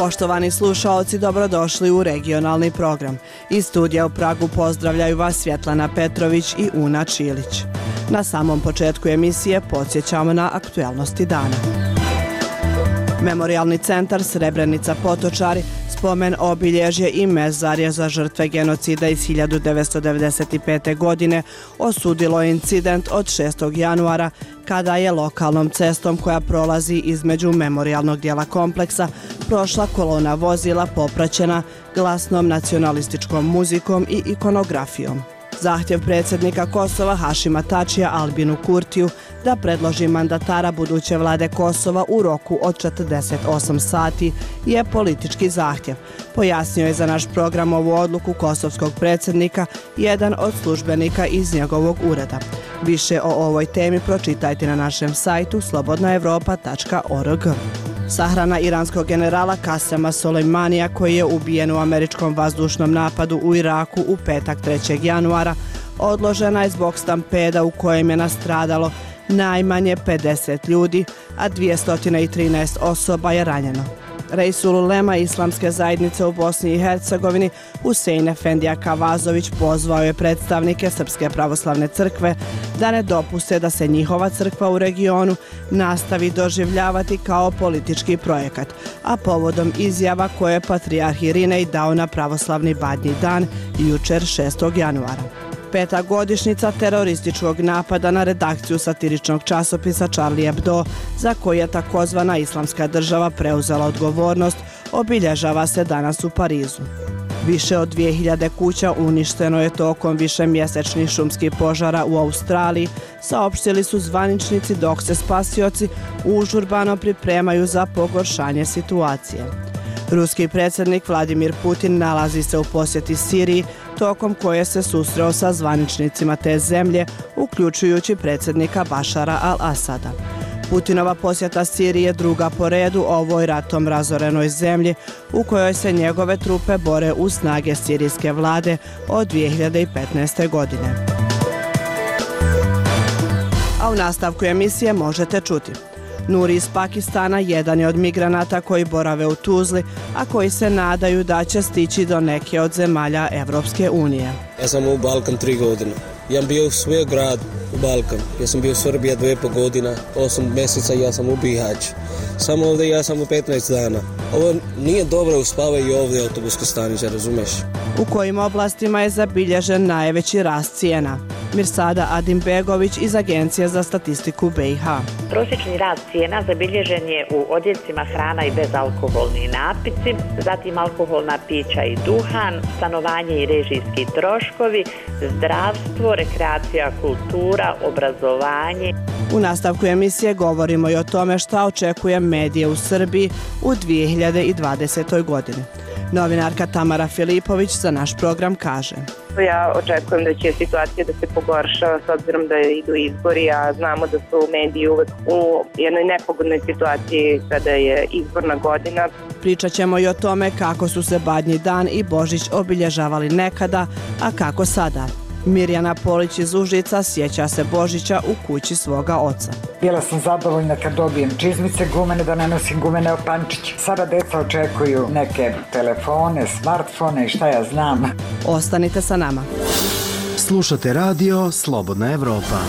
Poštovani slušaoci, dobrodošli u regionalni program. Iz studija u Pragu pozdravljaju vas Svjetlana Petrović i Una Čilić. Na samom početku emisije podsjećamo na aktuelnosti dana. Memorijalni centar Srebrenica Potočari, spomen obilježje i mezarje za žrtve genocida iz 1995. godine osudilo je incident od 6. januara kada je lokalnom cestom koja prolazi između memorijalnog dijela kompleksa prošla kolona vozila popraćena glasnom nacionalističkom muzikom i ikonografijom. Zahtjev predsjednika Kosova Hašima Tačija Albinu Kurtiju da predloži mandatara buduće vlade Kosova u roku od 48 sati je politički zahtjev. Pojasnio je za naš program ovu odluku kosovskog predsjednika jedan od službenika iz njegovog ureda. Više o ovoj temi pročitajte na našem sajtu slobodnaevropa.org. Sahrana iranskog generala Kasema Soleimanija koji je ubijen u američkom vazdušnom napadu u Iraku u petak 3. januara odložena je zbog stampeda u kojem je nastradalo najmanje 50 ljudi, a 213 osoba je ranjeno. Reisul ulema Islamske zajednice u Bosni i Hercegovini Husein Efendija Kavazović pozvao je predstavnike Srpske pravoslavne crkve da ne dopuste da se njihova crkva u regionu nastavi doživljavati kao politički projekat, a povodom izjava koje je patrijarh Irinej dao na pravoslavni Badnji dan jučer 6. januara. 5. godišnjica terorističkog napada na redakciju satiričnog časopisa Charlie Hebdo, za koji je takozvana Islamska država preuzela odgovornost, obilježava se danas u Parizu. Više od 2000 kuća uništeno je tokom višemjesečnih šumskih požara u Australiji, saopštili su zvaničnici, dok se spasioci užurbano pripremaju za pogoršanje situacije. Ruski predsjednik Vladimir Putin nalazi se u posjeti Siriji, tokom koje se susreo sa zvaničnicima te zemlje, uključujući predsjednika Bašara al-Asada. Putinova posjeta Siriji je druga po redu ovoj ratom razorenoj zemlji u kojoj se njegove trupe bore uz snage sirijske vlade od 2015. godine. A u nastavku emisije možete čuti: Nuri iz Pakistana jedan je od migranata koji borave u Tuzli, a koji se nadaju da će stići do neke od zemalja Evropske unije. Ja sam u Balkan 3 godine. Ja sam bio u svoj grad u Balkan. Ja sam bio u Srbiji 2,5 godina, 8 mjeseca ja sam u Bihać. Samo ovdje ja sam u 15 dana. Ovo nije dobro, uspavaju ovdje autobuske stanice, razumeš? U kojim oblastima je zabilježen najveći rast cijena? Mirsada Adimbegović iz Agencije za statistiku BiH. Prosječni rast cijena zabilježen je u odjećima, hrana i bezalkoholni napici, zatim alkoholna pića i duhan, stanovanje i režijski troškovi, zdravstvo, rekreacija, kultura, obrazovanje. U nastavku emisije govorimo i o tome šta očekuje medije u Srbiji u 2020. godini. Novinarka Tamara Filipović za naš program kaže: Ja očekujem da će situacija da se pogorša s obzirom da idu izbori, a znamo da su mediji uvek u jednoj nepogodnoj situaciji kada je izborna godina. Pričat ćemo i o tome kako su se Badnji dan i Božić obilježavali nekada, a kako sada. Mirjana Polić iz Užica sjeća se Božića u kući svoga oca. Bila sam zadovoljna kad dobijem čizmice gumene, da ne nosim gumene opančiće. Sada deca očekuju neke telefone, smartfone i šta ja znam. Ostanite sa nama. Slušate radio Slobodna Evropa.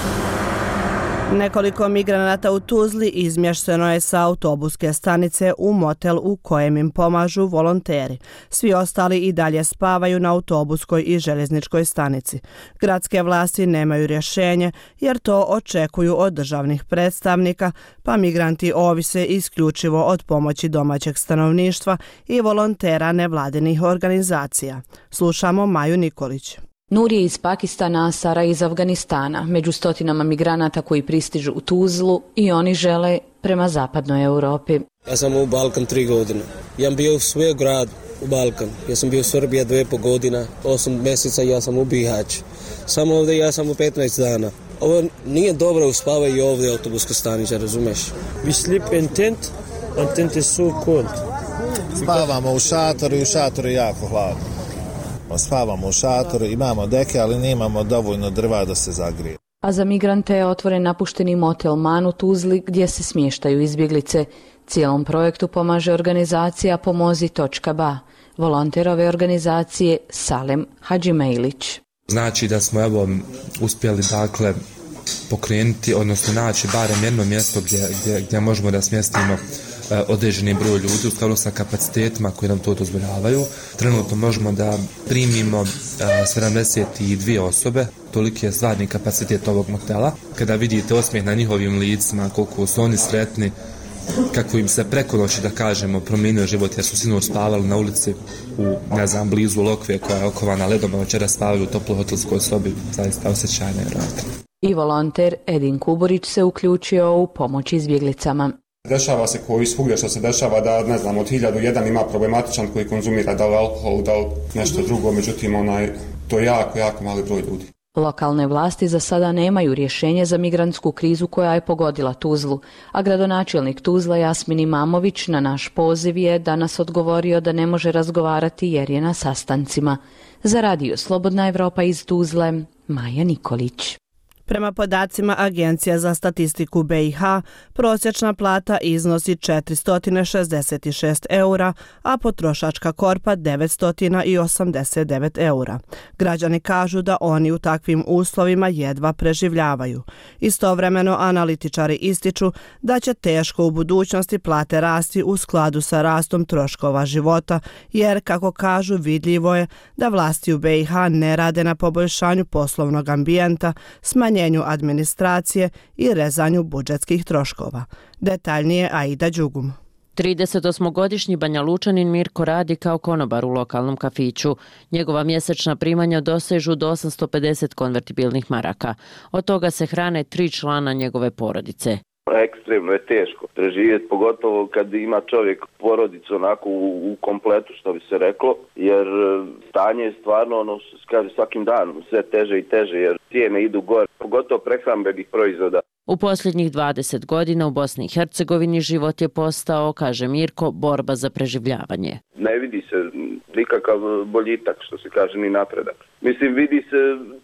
Nekoliko migranata u Tuzli izmješteno je sa autobuske stanice u motel u kojem im pomažu volonteri. Svi ostali i dalje spavaju na autobuskoj i željezničkoj stanici. Gradske vlasti nemaju rješenje jer to očekuju od državnih predstavnika, pa migranti ovise isključivo od pomoći domaćeg stanovništva i volontera nevladinih organizacija. Slušamo Maju Nikolić. Nuri je iz Pakistana, a Sara iz Afganistana, među stotinama migranata koji pristižu u Tuzlu i oni žele prema zapadnoj Europi. Ja sam u Balkan 3 godine. Ja sam bio u svoj grad u Balkan. Ja sam bio u Srbiji 2,5 godina, 8 mjeseca ja sam u Bihać. Samo ovdje ja sam u 15 dana. Ovo nije dobro, uspavaju ovdje autobuske stanice, razumeš? We sleep in tent and tent is so cold. Spavamo u šatoru i u šatoru je jako hladno. Spavamo u šatoru, imamo deke, ali nemamo dovoljno drva da se zagrije. A za migrante je otvoren napušteni motel Man u Tuzli gdje se smještaju izbjeglice. Cijelom projektu pomaže organizacija Pomozi.ba, volonter ove organizacije Salem Hadžimejlić. Znači da smo uspjeli pokrenuti, odnosno naći barem jedno mjesto gdje možemo da smjestimo određeni broj ljudi u skladu sa kapacitetima koji nam to dozvoljavaju. Trenutno možemo da primimo 72 osobe, toliki je stvarni kapacitet ovog motela. Kada vidite osmijeh na njihovim licima, koliko su oni sretni, kako im se preko noći, da kažemo, promijenio život, jer su sinoć spavali na ulici blizu Lokve koja je okovana ledom, a večera spavali u toploj hotelskoj sobi, zaista osjećaj nevjerojatno. I volonter Edin Kuburić se uključio u pomoć izbjeglicama. Dešava se koji svugdje što se dešava da, od 1001 ima problematičan koji konzumira da li alkohol, da li nešto drugo, međutim to je jako mali broj ljudi. Lokalne vlasti za sada nemaju rješenje za migrantsku krizu koja je pogodila Tuzlu, a gradonačelnik Tuzla Jasmin Imamović na naš poziv je danas odgovorio da ne može razgovarati jer je na sastancima. Za radio Slobodna Evropa iz Tuzle, Maja Nikolić. Prema podacima Agencija za statistiku BiH, prosječna plata iznosi 466 eura, a potrošačka korpa 989 eura. Građani kažu da oni u takvim uslovima jedva preživljavaju. Istovremeno analitičari ističu da će teško u budućnosti plate rasti u skladu sa rastom troškova života, jer, kako kažu, vidljivo je da vlasti u BiH ne rade na poboljšanju poslovnog ambijenta, smanjenju administracije i rezanju budžetskih troškova. Detaljnije Aida Đugum. 38-godišnji Banja Lučanin Mirko radi kao konobar u lokalnom kafiću. Njegova mjesečna primanja dosežu do 850 konvertibilnih maraka. Od toga se hrane 3 člana njegove porodice. Ekstremno je teško preživjeti, pogotovo kad ima čovjek porodicu onako u kompletu, što bi se reklo, jer stanje je stvarno, kaže, svakim danom sve teže i teže, jer cijene idu gore, pogotovo prehrambenih proizvoda. U posljednjih 20 godina u Bosni i Hercegovini život je postao, kaže Mirko, borba za preživljavanje. Ne vidi se nikakav boljitak, što se kaže, ni napredak. Mislim, vidi se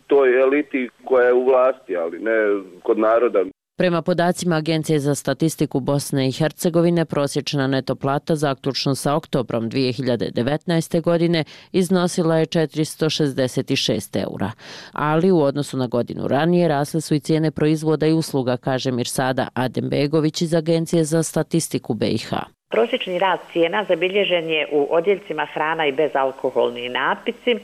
toj eliti koja je u vlasti, ali ne kod naroda. Prema podacima Agencije za statistiku Bosne i Hercegovine, prosječna neto plata zaključno sa oktobrom 2019. godine iznosila je 466 eura. Ali u odnosu na godinu ranije rasle su i cijene proizvoda i usluga, kaže Mirsada Adembegović iz Agencije za statistiku BiH. Prosječni rast cijena zabilježen je u odjeljcima hrana i bezalkoholni napici,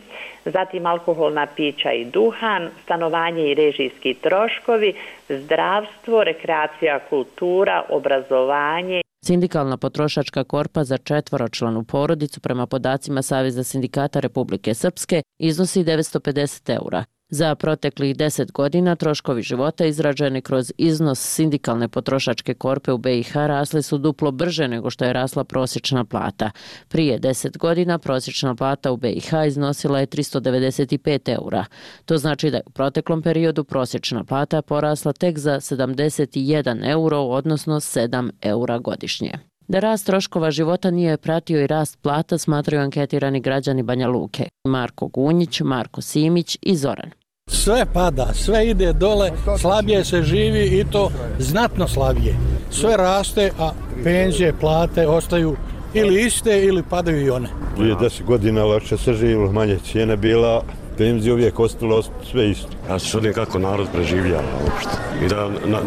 zatim alkoholna pića i duhan, stanovanje i režijski troškovi, zdravstvo, rekreacija, kultura, obrazovanje. Sindikalna potrošačka korpa za 4-članu porodicu prema podacima Saveza sindikata Republike Srpske iznosi 950 eura. Za proteklih 10 godina troškovi života izraženi kroz iznos sindikalne potrošačke korpe u BiH rasli su duplo brže nego što je rasla prosječna plata. Prije 10 godina prosječna plata u BiH iznosila je 395 eura. To znači da je u proteklom periodu prosječna plata porasla tek za 71 euro, odnosno 7 eura godišnje. Da rast troškova života nije pratio i rast plata, smatraju anketirani građani Banja Luke. Marko Gunjić, Marko Simić i Zoran. Sve pada, sve ide dole, slabije se živi i to znatno slabije. Sve raste, a penzije, plate ostaju ili iste ili padaju i one. Prije 10 godina lakše se živilo, manje cijene bila, penzije uvijek ostalo sve isto. Ja se čudim kako narod preživljava uopšte i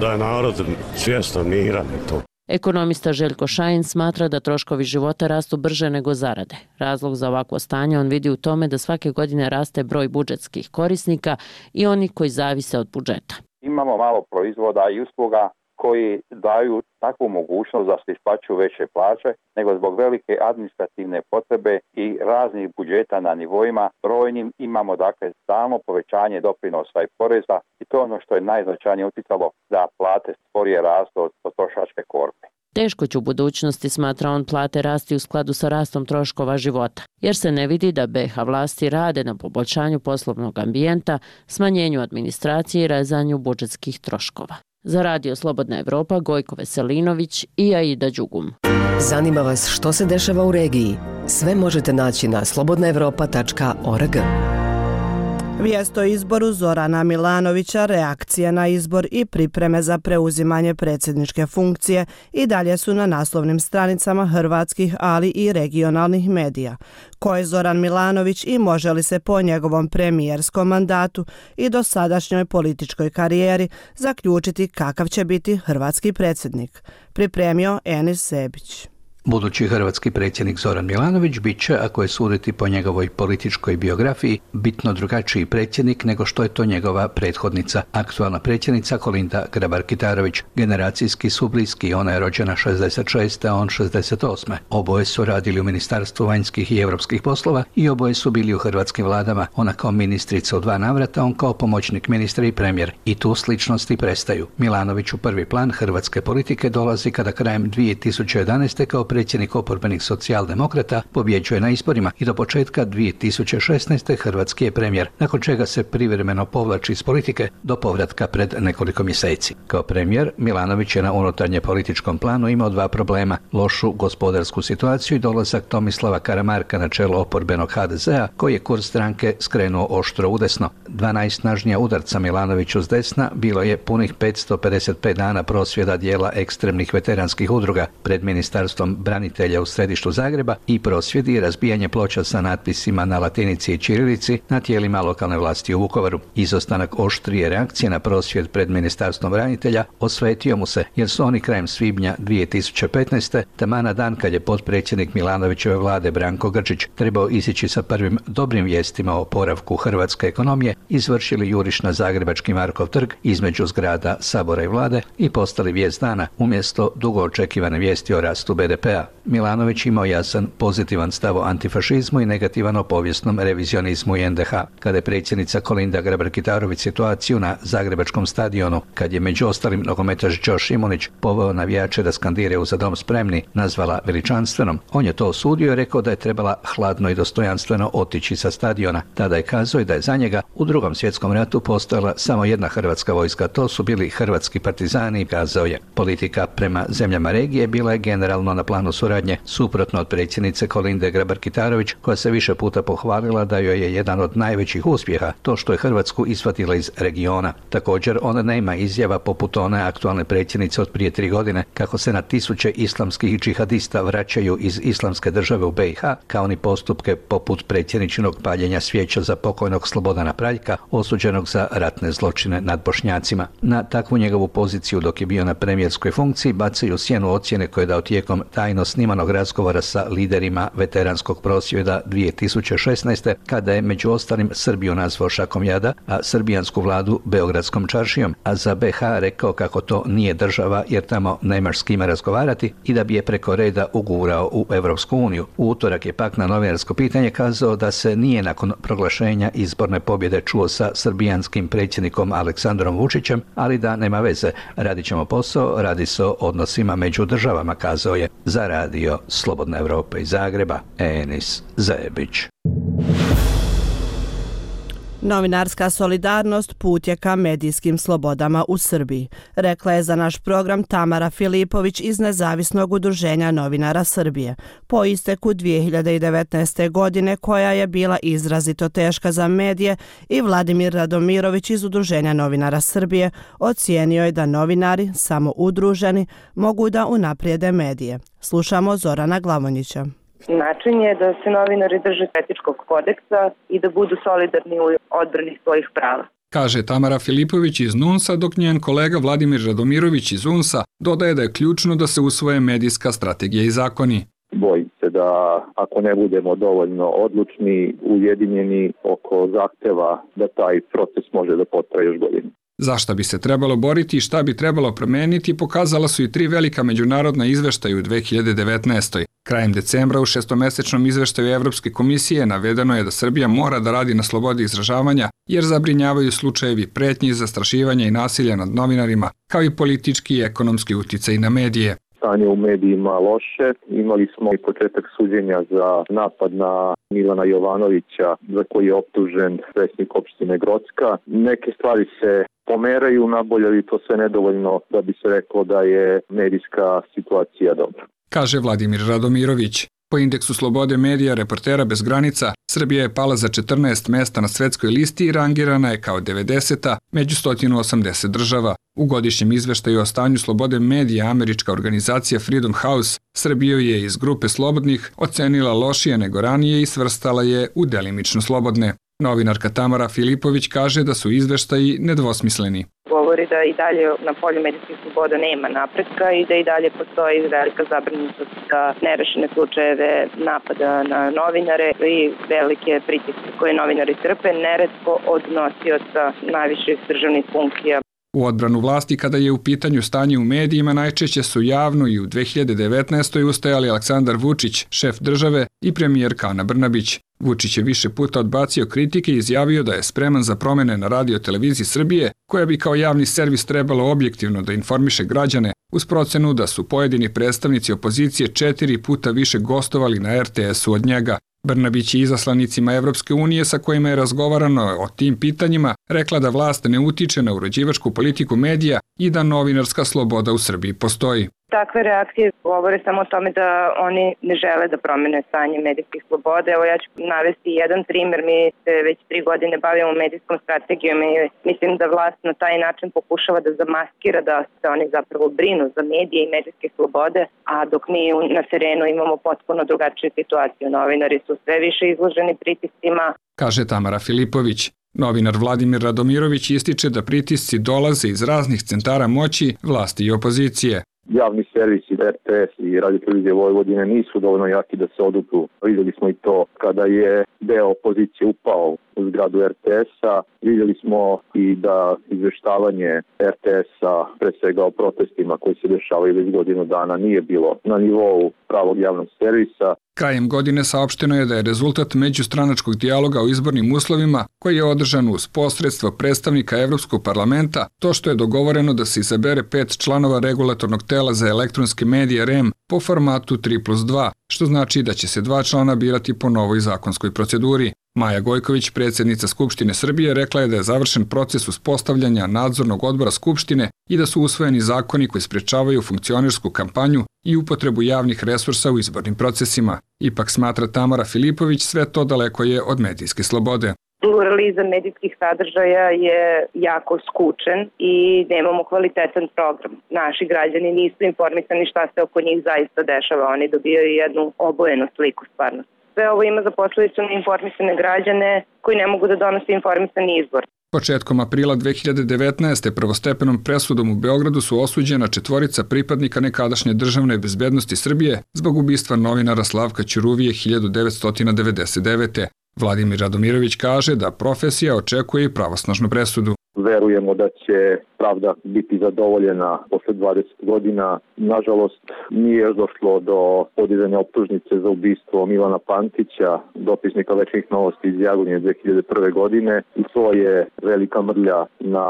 da je narod svjestan, miran i to. Ekonomista Željko Šajin smatra da troškovi života rastu brže nego zarade. Razlog za ovakvo stanje on vidi u tome da svake godine raste broj budžetskih korisnika i oni koji zavise od budžeta. Imamo malo proizvoda i usluga koji daju takvu mogućnost da se isplaćuju veće plaće, nego zbog velike administrativne potrebe i raznih budžeta na nivoima brojnim imamo stalno povećanje doprinosa i poreza i to je ono što je najznačajnije utjecalo da plate sporije rastu od potrošačke korpe. Teško će u budućnosti, smatra on, plate rasti u skladu sa rastom troškova života, jer se ne vidi da BiH vlasti rade na poboljšanju poslovnog ambijenta, smanjenju administracije i rezanju budžetskih troškova. Za radio Slobodna Evropa, Gojko Veselinović i Aida Đugum. Zanima vas što se dešava u regiji? Sve možete naći na slobodnaevropa.org. Vijest o izboru Zorana Milanovića, reakcije na izbor i pripreme za preuzimanje predsjedničke funkcije i dalje su na naslovnim stranicama hrvatskih, ali i regionalnih medija. Ko je Zoran Milanović i može li se po njegovom premijerskom mandatu i dosadašnjoj političkoj karijeri zaključiti kakav će biti hrvatski predsjednik? Pripremio Enis Zebić. Budući hrvatski predsjednik Zoran Milanović bit će, ako je suditi po njegovoj političkoj biografiji, bitno drugačiji predsjednik nego što je to njegova prethodnica, aktualna predsjednica Kolinda Grabar-Kitarović. Generacijski su bliski, ona je rođena 66. a on 68. Oboje su radili u Ministarstvu vanjskih i europskih poslova i oboje su bili u hrvatskim vladama, ona kao ministrica u 2 navrata, on kao pomoćnik ministra i premijer. I tu sličnosti prestaju. Milanović u prvi plan hrvatske politike dolazi kada krajem 2011. kao predsjednik oporbenih socijaldemokrata pobjeđuje na izborima i do početka 2016. hrvatski je premijer, nakon čega se privremeno povlači iz politike do povratka pred nekoliko mjeseci. Kao premijer, Milanović je na unutarnje političkom planu imao 2 problema: lošu gospodarsku situaciju i dolazak Tomislava Karamarka na čelo oporbenog HDZ-a, koji je kurs stranke skrenuo oštro udesno. 2 najsnažnija udarca Milanoviću s desna bilo je punih 555 dana prosvjeda dijela ekstremnih veteranskih udruga pred ministarstvom branitelja u središtu Zagreba i prosvjedi i razbijanje ploča sa natpisima na latinici i ćirilici na tijelima lokalne vlasti u Vukovaru. Izostanak oštrije reakcije na prosvjed pred ministarstvom branitelja osvetio mu se, jer su oni krajem svibnja 2015. taman na dan kad je potpredsjednik Milanovićeve vlade Branko Grčić trebao izići sa prvim dobrim vijestima o oporavku hrvatske ekonomije, izvršili juriš na zagrebački Markov trg između zgrada Sabora i vlade i postali vijest dana umjesto dugo očekivane vijesti o rastu BDP-a. Milanović imao jasan pozitivan stav o antifašizmu i negativan o povijesnom revizionizmu i NDH. Kada je predsjednica Kolinda Grabar-Kitarović situaciju na zagrebačkom stadionu, kad je među ostalim nogometaš Đo Šimunić poveo navijače da skandiraju Za dom spremni, nazvala veličanstvenom, on je to osudio i rekao da je trebala hladno i dostojanstveno otići sa stadiona. Tada je kazao da je za njega u Drugom svjetskom ratu postojala samo jedna hrvatska vojska, to su bili hrvatski partizani, kazao je. Politika prema zemljama regije bila je generalno na planu suradnje, suprotno od predsjednice Kolinde Grabar-Kitarović, koja se više puta pohvalila da joj je jedan od najvećih uspjeha to što je Hrvatsku izvatila iz regiona. Također, ona nema izjava poput one aktualne predsjednice od prije 3 godine kako se na tisuće islamskih džihadista vraćaju iz islamske države u BiH, kao ni postupke poput predsjedničinog paljenja svijeća za pokojnog Slobodana Praljka, osuđenog za ratne zločine nad Bošnjacima. Na takvu njegovu poziciju dok je bio na premijerskoj funkciji bacaju sjenu ocjene koje je dao tijekom tajno snimanog razgovora sa liderima veteranskog prosvjeda 2016. kada je među ostalim Srbiju nazvao šakom jada, a srbijansku vladu Beogradskom čaršijom, a za BiH rekao kako to nije država jer tamo nemaš s kime razgovarati i da bi je preko reda ugurao u Europsku uniju. U utorak je pak na novinarsko pitanje kazao da se nije nakon proglašenja izborne pobjede čuo sa srbijanskim predsjednikom Aleksandrom Vučićem, ali da nema veze, radit ćemo posao, radi se o odnosima među državama, kazao je. Za radio Slobodna Evropa iz Zagreba, Enis Zebić. Novinarska solidarnost put je ka medijskim slobodama u Srbiji, rekla je za naš program Tamara Filipović iz Nezavisnog udruženja novinara Srbije. Po isteku 2019. godine, koja je bila izrazito teška za medije, i Vladimir Radomirović iz Udruženja novinara Srbije ocijenio je da novinari, samo udruženi, mogu da unaprijede medije. Slušamo Zorana Glavonjića. Način je da se novinari drže etičkog kodeksa i da budu solidarni u odbrani svojih prava. Kaže Tamara Filipović iz NUNS-a, dok njen kolega Vladimir Radomirović iz UNS-a dodaje da je ključno da se usvoje medijska strategija i zakoni. Bojim se da ako ne budemo dovoljno odlučni, ujedinjeni oko zahteva da taj proces može da potraje još godinu. Za šta bi se trebalo boriti i šta bi trebalo promeniti pokazala su i 3 velika međunarodna izveštaja u 2019. Krajem decembra u 6-mesečnom izveštaju Evropske komisije navedeno je da Srbija mora da radi na slobodi izražavanja jer zabrinjavaju slučajevi pretnji, zastrašivanja i nasilja nad novinarima, kao i politički i ekonomski uticaj na medije. Stanje u medijima loše. Imali smo i početak suđenja za napad na Milana Jovanovića, za koji je optužen predsjednik opštine Grocka. Neke stvari se pomeraju nabolje, ali to sve nedovoljno da bi se reklo da je medijska situacija dobra. Kaže Vladimir Radomirović. Po indeksu slobode medija Reportera bez granica, Srbija je pala za 14 mesta na svetskoj listi i rangirana je kao 90. među 180 država. U godišnjem izveštaju o stanju slobode medija američka organizacija Freedom House Srbiju je iz grupe slobodnih ocenila lošije nego ranije i svrstala je u delimično slobodne. Novinarka Tamara Filipović kaže da su izveštaji nedvosmisleni. Govori da i dalje na polju medijskih sloboda nema napretka i da i dalje postoji velika zabrinutost za nerešene slučajeve napada na novinare i velike pritiske koje novinari trpe, neretko od nosioca najviših državnih funkcija. U odbranu vlasti kada je u pitanju stanje u medijima najčešće su javno i u 2019. ustajali Aleksandar Vučić, šef države, i premijerka Ana Brnabić. Vučić je više puta odbacio kritike i izjavio da je spreman za promene na Radio-televiziji Srbije, koja bi kao javni servis trebalo objektivno da informiše građane, uz procenu da su pojedini predstavnici opozicije 4 puta više gostovali na RTS-u od njega. Brnabić je izaslanicima Evropske unije sa kojima je razgovarano o tim pitanjima rekla da vlast ne utiče na uređivačku politiku medija i da novinarska sloboda u Srbiji postoji. Takve reakcije govore samo o tome da oni ne žele da promene stanje medijskih sloboda. Evo ja ću navesti jedan primer. Mi se već 3 godine bavimo medijskom strategijom i mislim da vlast na taj način pokušava da zamaskira da se oni zapravo brinu za medije i medijske slobode, a dok mi na terenu imamo potpuno drugačiju situaciju. Novinari su sve više izloženi pritiscima. Kaže Tamara Filipović. Novinar Vladimir Radomirović ističe da pritisci dolaze iz raznih centara moći, vlasti i opozicije. Javni servisi RTS i Radio-televizije Vojvodine nisu dovoljno jaki da se odupru. Vidjeli smo i to kada je deo opozicije upao u zgradu RTS-a. Vidjeli smo i da izveštavanje RTS-a, pre svega o protestima koji se dešavaju već godinu dana, nije bilo na nivou pravog javnog servisa. Krajem godine saopšteno je da je rezultat međustranačkog dijaloga o izbornim uslovima, koji je održan uz posredstvo predstavnika Evropskog parlamenta, to što je dogovoreno da se izabere 5 članova regulatornog tela za elektronske medije REM po formatu 3+2, što znači da će se 2 člana birati po novoj zakonskoj proceduri. Maja Gojković, predsjednica Skupštine Srbije, rekla je da je završen proces uspostavljanja nadzornog odbora Skupštine i da su usvojeni zakoni koji sprečavaju funkcionersku kampanju i upotrebu javnih resursa u izbornim procesima. Ipak, smatra Tamara Filipović, sve to daleko je od medijske slobode. Pluralizam medijskih sadržaja je jako skučen i nemamo kvalitetan program. Naši građani nisu informisani šta se oko njih zaista dešava. Oni dobijaju jednu obojenu sliku stvarnosti. Sve ovo ima za posledicu neinformisane građane koji ne mogu da donose informisani izbor. Početkom aprila 2019. prvostepenom presudom u Beogradu su osuđena 4 pripadnika nekadašnje državne bezbednosti Srbije zbog ubistva novinara Slavka Ćuruvije 1999. Vladimir Radomirović kaže da profesija očekuje i pravosnažnu presudu. Verujemo da će pravda biti zadovoljena posle 20 godina. Nažalost, nije još došlo do podizanja optužnice za ubistvo Milana Pantića, dopisnika Večnih novosti iz Jagodnje 2001. godine. I to je velika mrlja na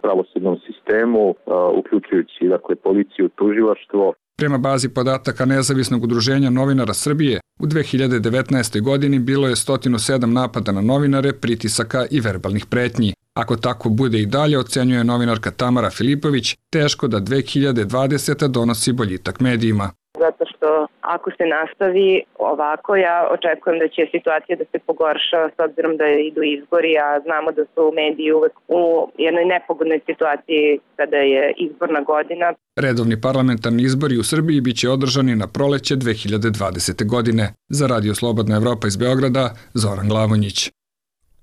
pravosudnom sistemu, uključujući policiju, tužilaštvo. Prema bazi podataka Nezavisnog udruženja novinara Srbije, u 2019. godini bilo je 107 napada na novinare, pritisaka i verbalnih pretnji. Ako tako bude i dalje, ocenjuje novinarka Tamara Filipović, teško da 2020. donosi boljitak medijima. Zato što ako se nastavi ovako, ja očekujem da će situacija da se pogorša s obzirom da idu izbori, a znamo da su mediji uvek u jednoj nepogodnoj situaciji kada je izborna godina. Redovni parlamentarni izbori u Srbiji biće održani na proleće 2020. godine. Za Radio Slobodna Evropa iz Beograda, Zoran Glavonjić.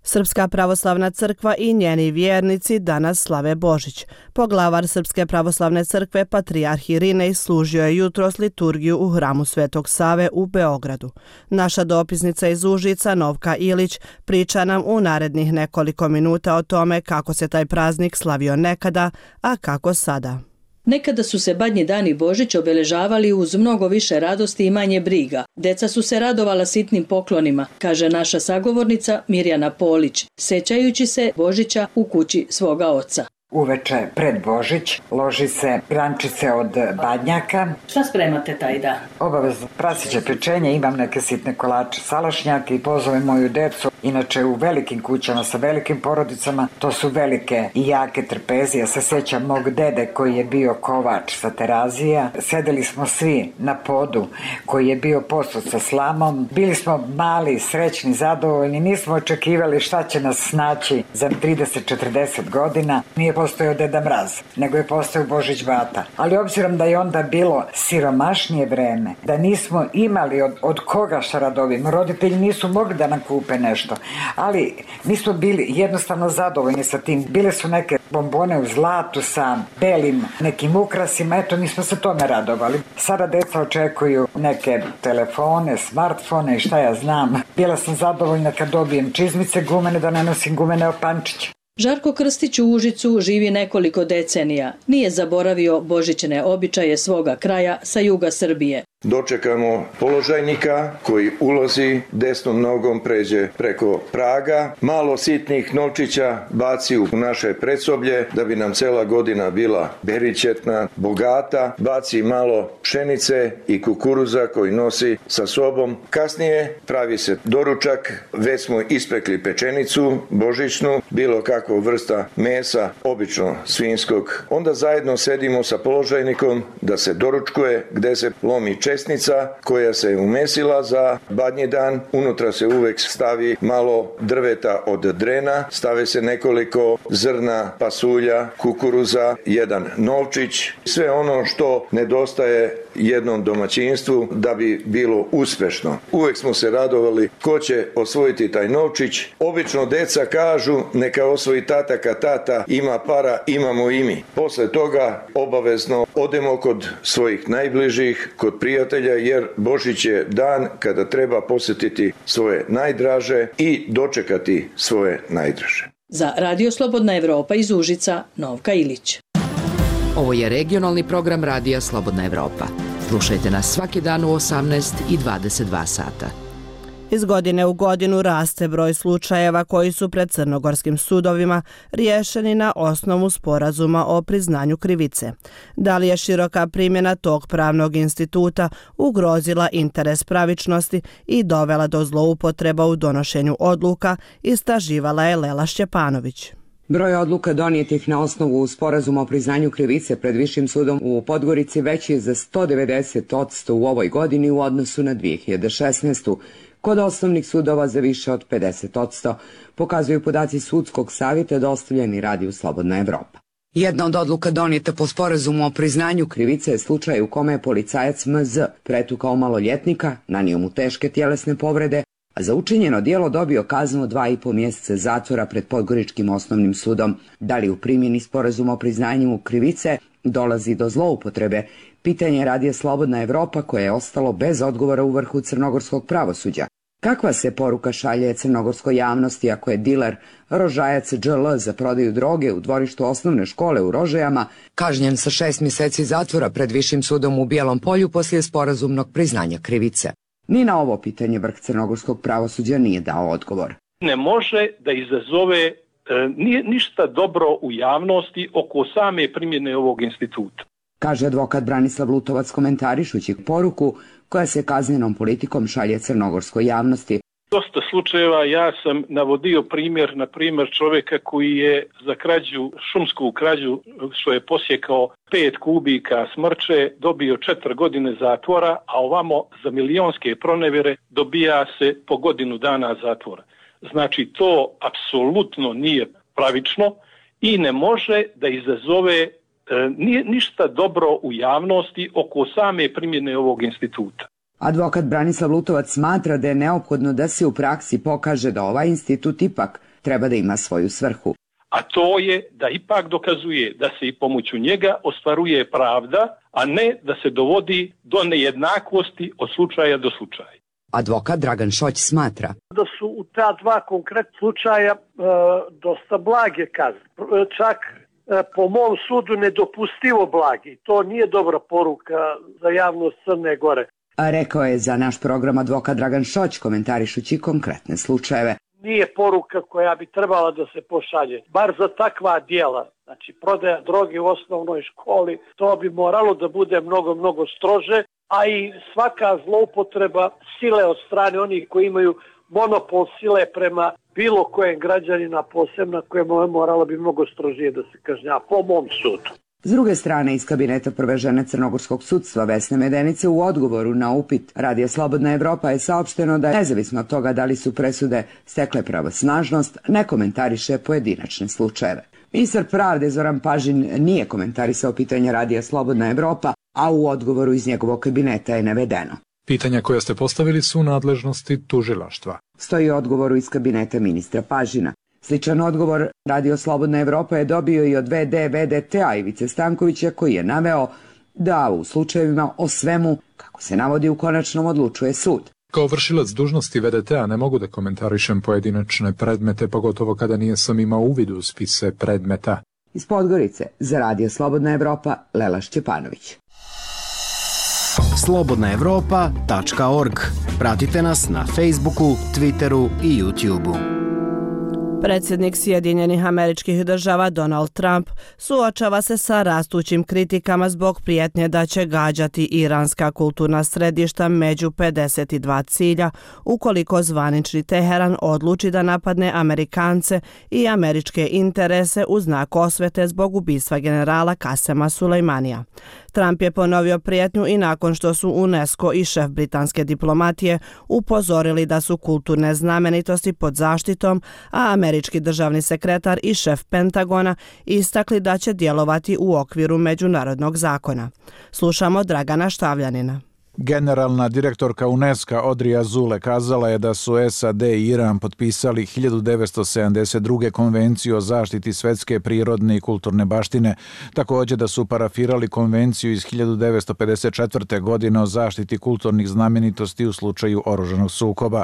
Srpska pravoslavna crkva i njeni vjernici danas slave Božić. Poglavar Srpske pravoslavne crkve, patrijarh Irinej, služio je jutros liturgiju u hramu Svetog Save u Beogradu. Naša dopisnica iz Užica, Novka Ilić, priča nam u narednih nekoliko minuta o tome kako se taj praznik slavio nekada, a kako sada. Nekada su se Badnji dan i Božić obeležavali uz mnogo više radosti i manje briga. Deca su se radovala sitnim poklonima, kaže naša sagovornica Mirjana Polić, sećajući se Božića u kući svoga oca. uveče pred Božić, loži se grančice od badnjaka. Šta spremate taj dan? Obavezno prasiće pečenje, imam neke sitne kolače, salašnjake i pozovem moju decu. Inače u velikim kućama sa velikim porodicama, to su velike i jake trpeze. Ja se sjećam mog dede koji je bio kovač sa Terazija. Sedeli smo svi na podu koji je bio posud sa slamom. Bili smo mali, srećni, zadovoljni. Nismo očekivali šta će nas snaći za 30-40 godina. Nije postojao Deda Mraz, nego je postojao Božić Bata. Ali obzirom da je onda bilo siromašnije vreme, da nismo imali od koga šta radovimo, roditelji nisu mogli da nam kupe nešto. Ali mi smo bili jednostavno zadovoljni sa tim. Bile su neke bombone u zlatu sa belim nekim ukrasima, eto mi smo se tome radovali. Sada deca očekuju neke telefone, smartfone i šta ja znam. Bila sam zadovoljna kad dobijem čizmice gumene, da ne nosim gumene opančiće. Žarko Krstić u Užicu živi nekoliko decenija. Nije zaboravio božićne običaje svoga kraja sa juga Srbije. Dočekamo položajnika koji ulazi, desnom nogom pređe preko praga, malo sitnih novčića baci u naše predsoblje da bi nam cela godina bila beričetna, bogata, baci malo pšenice i kukuruza koji nosi sa sobom. Kasnije pravi se doručak, već smo ispekli pečenicu božićnu, bilo kakva vrsta mesa, obično svinjskog. Onda zajedno sedimo sa položajnikom da se doručkuje, gde se lomi česnica koja se umesila za badnji dan. Unutra se uvek stavi malo drveta od drena, stave se nekoliko zrna pasulja, kukuruza, jedan novčić, sve ono što nedostaje jednom domaćinstvu da bi bilo uspešno. Uvek smo se radovali ko će osvojiti taj novčić. Obično deca kažu neka osvoji tata, kad tata ima para, imamo i mi. Posle toga obavezno odemo kod svojih najbližih, kod prijatelja, jer Božić je dan kada treba posjetiti svoje najdraže i dočekati svoje najdraže. Za Radio Slobodna Evropa iz Užica, Novka Ilić. Ovo je regionalni program Radija Slobodna Evropa. Slušajte nas svaki dan u 18 i 22 sata. Iz godine u godinu raste broj slučajeva koji su pred crnogorskim sudovima riješeni na osnovu sporazuma o priznanju krivice. Da li je široka primjena tog pravnog instituta ugrozila interes pravičnosti i dovela do zloupotreba u donošenju odluka, istraživala je Lela Šćepanović. Broj odluka donijetih na osnovu sporazuma o priznanju krivice pred Višim sudom u Podgorici veći je za 190% u ovoj godini u odnosu na 2016. Kod osnovnih sudova za više od 50%, pokazuju podaci Sudskog savjeta dostavljeni Radiju Slobodna Evropa. Jedna od odluka donijeta po sporazumu o priznanju krivice je slučaj u kome je policajac MZ pretukao maloljetnika, nanio mu teške tjelesne povrede, a za učinjeno djelo dobio kaznu 2,5 mjeseca zatvora pred Podgoričkim osnovnim sudom. Da li u primjeni sporazuma o priznanju krivice dolazi do zloupotrebe? Pitanje Radija Slobodna Evropa koje je ostalo bez odgovora u vrhu crnogorskog pravosuđa. Kakva se poruka šalje crnogorskoj javnosti ako je diler Rožajac DŽL za prodaju droge u dvorištu osnovne škole u Rožajama kažnjen sa 6 mjeseci zatvora pred Višim sudom u Bijelom Polju poslije sporazumnog priznanja krivice? Ni na ovo pitanje vrh crnogorskog pravosuđa nije dao odgovor. Ne može da izazove ništa dobro u javnosti oko same primjene ovog instituta, kaže advokat Branislav Lutovac komentarišući poruku koja se kaznenom politikom šalje crnogorskoj javnosti. Dosta slučajeva ja sam navodio primjer, na primjer čovjeka koji je za krađu, šumsku krađu, što je posjekao 5 kubika smrče, dobio 4 godine zatvora, a ovamo za milionske pronevjere dobija se po godinu dana zatvora. Znači to apsolutno nije pravično i ne može da izazove ništa dobro u javnosti oko same primjene ovog instituta. Advokat Branislav Lutovac smatra da je neophodno da se u praksi pokaže da ovaj institut ipak treba da ima svoju svrhu. A to je da ipak dokazuje da se i pomoću njega ostvaruje pravda, a ne da se dovodi do nejednakosti od slučaja do slučaja. Advokat Dragan Šoć smatra da su u ta dva konkretna slučaja dosta blage kazne. Čak po mom sudu nedopustivo blagi. To nije dobra poruka za javnost Crne Gore. A rekao je za naš program advokat Dragan Šoć komentarišući konkretne slučajeve. nije poruka koja bi trebala da se pošalje. Bar za takva djela, znači prodaja droge u osnovnoj školi, to bi moralo da bude mnogo, mnogo strože, a i svaka zloupotreba sile od strane onih koji imaju monopol sile prema bilo kojem građanina, posebno koje moralo bi mnogo strožije da se kažnjava, po mom sudu. S druge strane, iz kabineta prve žene crnogorskog sudstva Vesne Medenice u odgovoru na upit Radija Slobodna Evropa je saopšteno da, nezavisno od toga da li su presude stekle pravosnažnost, ne komentariše pojedinačne slučajeve. Ministar pravde Zoran Pažin nije komentarisao pitanje Radija Slobodna Evropa, a u odgovoru iz njegovog kabineta je navedeno: pitanja koja ste postavili su u nadležnosti tužilaštva. Stoji u odgovoru iz kabineta ministra Pažina. Sličan odgovor Radio Slobodna Evropa je dobio i od VD VDT-a Ivice Stankovića, koji je naveo da u slučajevima o svemu, kako se navodi, u konačnom odlučuje sud. Kao vršilac dužnosti VDT-a ne mogu da komentarišem pojedinačne predmete, pogotovo kada nisam imao uvid u spise predmeta. Iz Podgorice za Radio Slobodna Evropa, Lela Šćepanović. slobodnaevropa.org. Pratite nas na Facebooku, Twitteru i YouTubeu. Predsjednik Sjedinjenih Američkih Država Donald Trump suočava se sa rastućim kritikama zbog prijetnje da će gađati iranska kulturna središta među 52 cilja ukoliko zvanični Teheran odluči da napadne Amerikance i američke interese u znak osvete zbog ubistva generala Kasema Sulejmanija. Trump je ponovio prijetnju i nakon što su UNESCO i šef britanske diplomatije upozorili da su kulturne znamenitosti pod zaštitom, a američki državni sekretar i šef Pentagona istakli da će djelovati u okviru međunarodnog zakona. Slušamo Dragana Štavljanina. Generalna direktorka UNESCO Audrey Azoulay kazala je da su SAD i Iran potpisali 1972. konvenciju o zaštiti svetske prirodne i kulturne baštine, također da su parafirali konvenciju iz 1954. godine o zaštiti kulturnih znamenitosti u slučaju oružanog sukoba.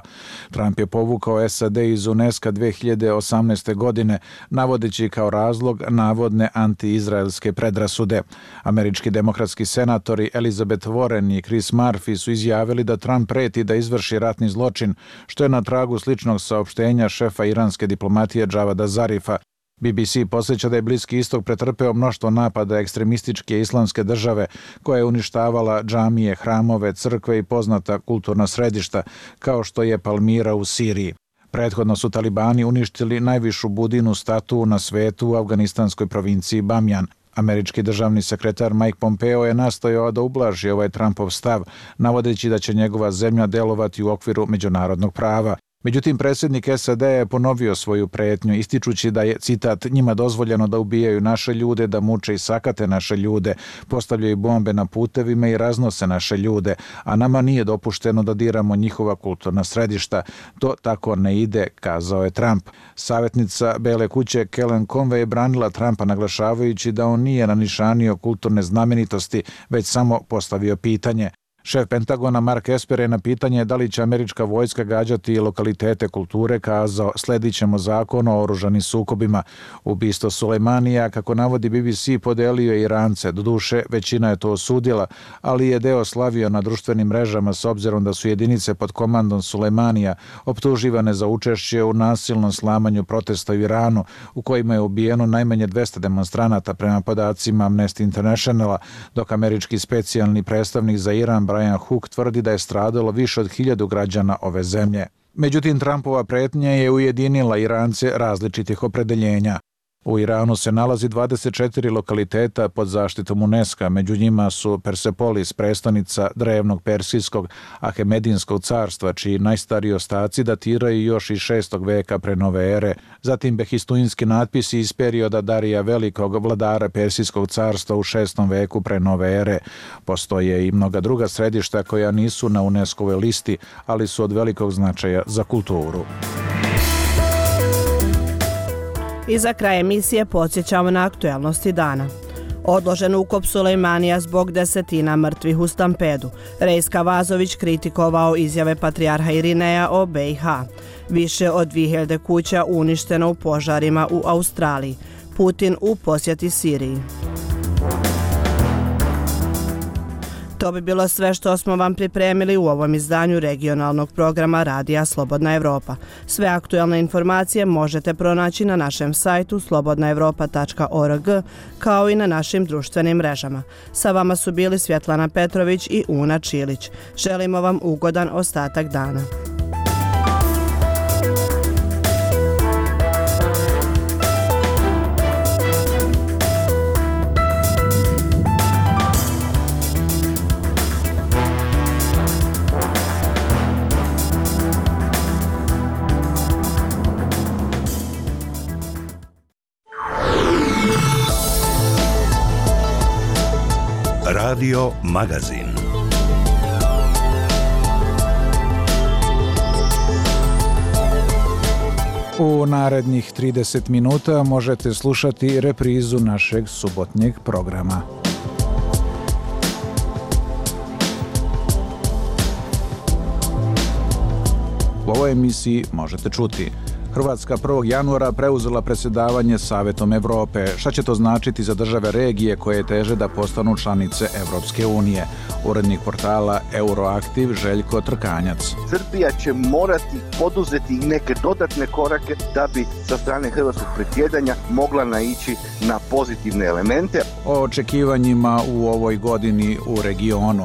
Trump je povukao SAD iz UNESCO 2018. godine, navodeći kao razlog navodne anti-izraelske predrasude. Američki demokratski senatori Elizabeth Warren i Chris Murphy su izjavili da Trump preti da izvrši ratni zločin, što je na tragu sličnog saopštenja šefa iranske diplomatije Javada Zarifa. BBC podsjeća da je Bliski istok pretrpeo mnoštvo napada ekstremističke islamske države koja je uništavala džamije, hramove, crkve i poznata kulturna središta, kao što je Palmira u Siriji. Prethodno su talibani uništili najvišu budinu statu na svetu u afganistanskoj provinciji Bamjan. Američki državni sekretar Mike Pompeo je nastojao da ublaži ovaj Trumpov stav, navodeći da će njegova zemlja delovati u okviru međunarodnog prava. Međutim, predsjednik SAD je ponovio svoju prijetnju, ističući da je, citat, njima dozvoljeno da ubijaju naše ljude, da muče i sakate naše ljude, postavljaju bombe na putevima i raznose naše ljude, a nama nije dopušteno da diramo njihova kulturna središta. To tako ne ide, kazao je Trump. Savjetnica Bele kuće Kellyanne Conway je branila Trumpa, naglašavajući da on nije nanišanio kulturne znamenitosti, već samo postavio pitanje. Šef Pentagona Mark Esper je na pitanje da li će američka vojska gađati lokalitete kulture kazao: sledit ćemo zakon o oružanim sukobima. Ubistvo Sulejmanija, kako navodi BBC, podelio je Irance. Doduše, većina je to osudila, ali je deo slavio na društvenim mrežama s obzirom da su jedinice pod komandom Sulejmanija optuživane za učešće u nasilnom slamanju protesta u Iranu, u kojima je ubijeno najmanje 200 demonstranata prema podacima Amnesty Internationala, dok američki specijalni predstavnik za Iran Brian Hook tvrdi da je stradalo više od 1000 građana ove zemlje. Međutim, Trumpova pretnja je ujedinila Irance različitih opredeljenja. U Iranu se nalazi 24 lokaliteta pod zaštitom UNESCO, među njima su Persepolis, prestonica drevnog persijskog Ahemedinskog carstva, čiji najstariji ostaci datiraju još iz 6. veka pre nove ere, zatim behistuinski natpisi iz perioda Darija Velikog, vladara Persijskog carstva u 6. veku pre nove ere. Postoje i mnoga druga središta koja nisu na UNESCO-voj listi, ali su od velikog značaja za kulturu. I za kraj emisije podsjećamo na aktuelnosti dana. Odložen ukop Sulejmanija zbog desetina mrtvih u stampedu. Rejska Vazović kritikovao izjave patrijarha Irineja o BiH. Više od 2000 kuća uništeno u požarima u Australiji. Putin u posjeti Siriji. To bi bilo sve što smo vam pripremili u ovom izdanju regionalnog programa Radija Slobodna Evropa. Sve aktuelne informacije možete pronaći na našem sajtu slobodnaevropa.org kao i na našim društvenim mrežama. Sa vama su bili Svjetlana Petrović i Una Čilić. Želimo vam ugodan ostatak dana. Radio Magazin. U narednih 30 minuta možete slušati reprizu našeg subotnjeg programa. U ovoj emisiji možete čuti: Hrvatska 1. januara preuzela predsjedavanje Savetom Evrope. Šta će to značiti za države regije koje teže da postanu članice Evropske unije? Urednik portala Euroaktiv Željko Trkanjac. Srbija će morati poduzeti neke dodatne korake da bi sa strane hrvatskog predsjedanja mogla naići na pozitivne elemente. O očekivanjima u ovoj godini u regionu.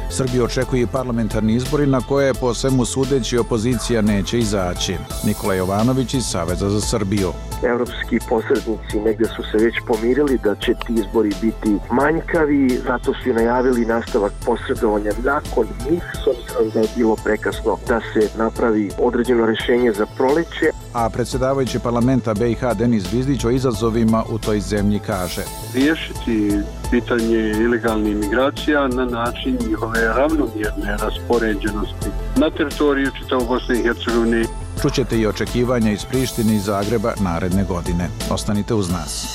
Srbiju očekuju parlamentarni izbori na koje po svemu sudeći opozicija neće izaći. Nikola Jovanović iz Saveza za Srbiju. Evropski posrednici negdje su se već pomirili da će ti izbori biti manjkavi, zato su i najavili nastavak posredovanja nakon njih, s obzirom da je bilo prekasno da se napravi određeno rješenje za proleće. A predsjedavajući parlamenta BiH Denis Zvizdić o izazovima u toj zemlji kaže: riješiti pitanje ilegalnih migracija na način njihove ravnomjerne raspoređenosti na teritoriju čitavog Bosne i Hercegovine. Čućete i očekivanja iz Prištine i Zagreba naredne godine. Ostanite uz nas.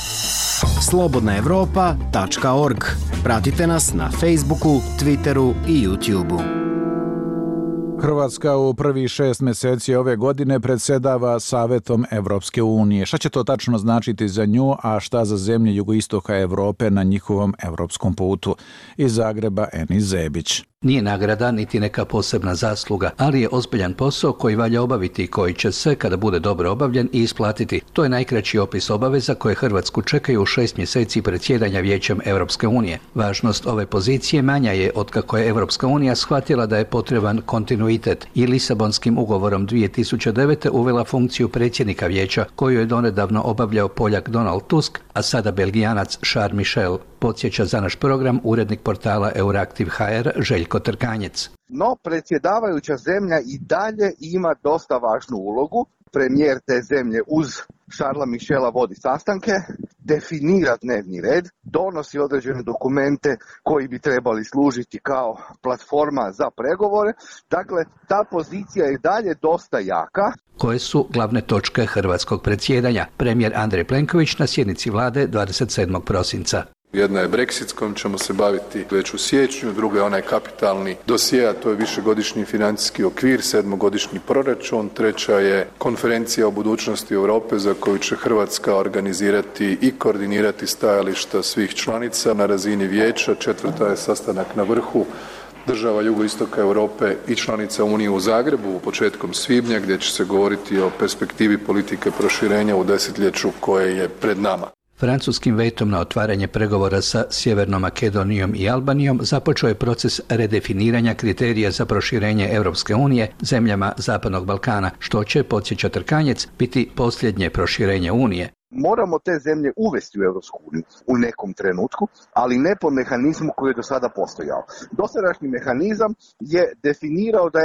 slobodnaevropa.org. Pratite nas na Facebooku, Twitteru i YouTubeu. Hrvatska u prvih 6 mjeseci ove godine predsjedava Savetom Evropske unije. Šta će to tačno značiti za nju, a šta za zemlje jugoistoka Europe na njihovom evropskom putu? Iz Zagreba Enis Zebić. Nije nagrada niti neka posebna zasluga, ali je ozbiljan posao koji valja obaviti i koji će se, kada bude dobro obavljen, i isplatiti. To je najkraći opis obaveza koje Hrvatsku čekaju u 6 mjeseci predsjedanja Vijećem Europske unije. Važnost ove pozicije manja je otkako je Europska unija shvatila da je potreban kontinuitet i Lisabonskim ugovorom 2009. uvela funkciju predsjednika Vijeća koju je donedavno obavljao Poljak Donald Tusk, a sada Belgijanac Charles Michel. Podsjeća za naš program urednik portala Euraktiv HR Željko Trkanjec. No, predsjedavajuća zemlja i dalje ima dosta važnu ulogu. Premijer te zemlje uz Charlesa Michela vodi sastanke, definira dnevni red, donosi određene dokumente koji bi trebali služiti kao platforma za pregovore. Dakle, ta pozicija je dalje dosta jaka. Koje su glavne točke hrvatskog predsjedanja? Premijer Andrej Plenković na sjednici vlade 27. prosinca. Jedna je Brexit, s kojom ćemo se baviti već u siječnju, druga je onaj kapitalni dosje, a to je višegodišnji financijski okvir, 7-godišnji proračun, treća je konferencija o budućnosti Europe za koju će Hrvatska organizirati i koordinirati stajališta svih članica na razini vijeća, četvrta je sastanak na vrhu država jugoistoka Europe i članica Unije u Zagrebu početkom svibnja, gdje će se govoriti o perspektivi politike proširenja u desetljeću koje je pred nama. Francuskim vetom na otvaranje pregovora sa Sjevernom Makedonijom i Albanijom započeo je proces redefiniranja kriterija za proširenje Europske unije zemljama Zapadnog Balkana, što će, podsjeća Trkanjec, biti posljednje proširenje Unije. Moramo te zemlje uvesti u Europsku uniju u nekom trenutku, ali ne po mehanizmu koji je do sada postojao. Dosadašnji mehanizam je definirao da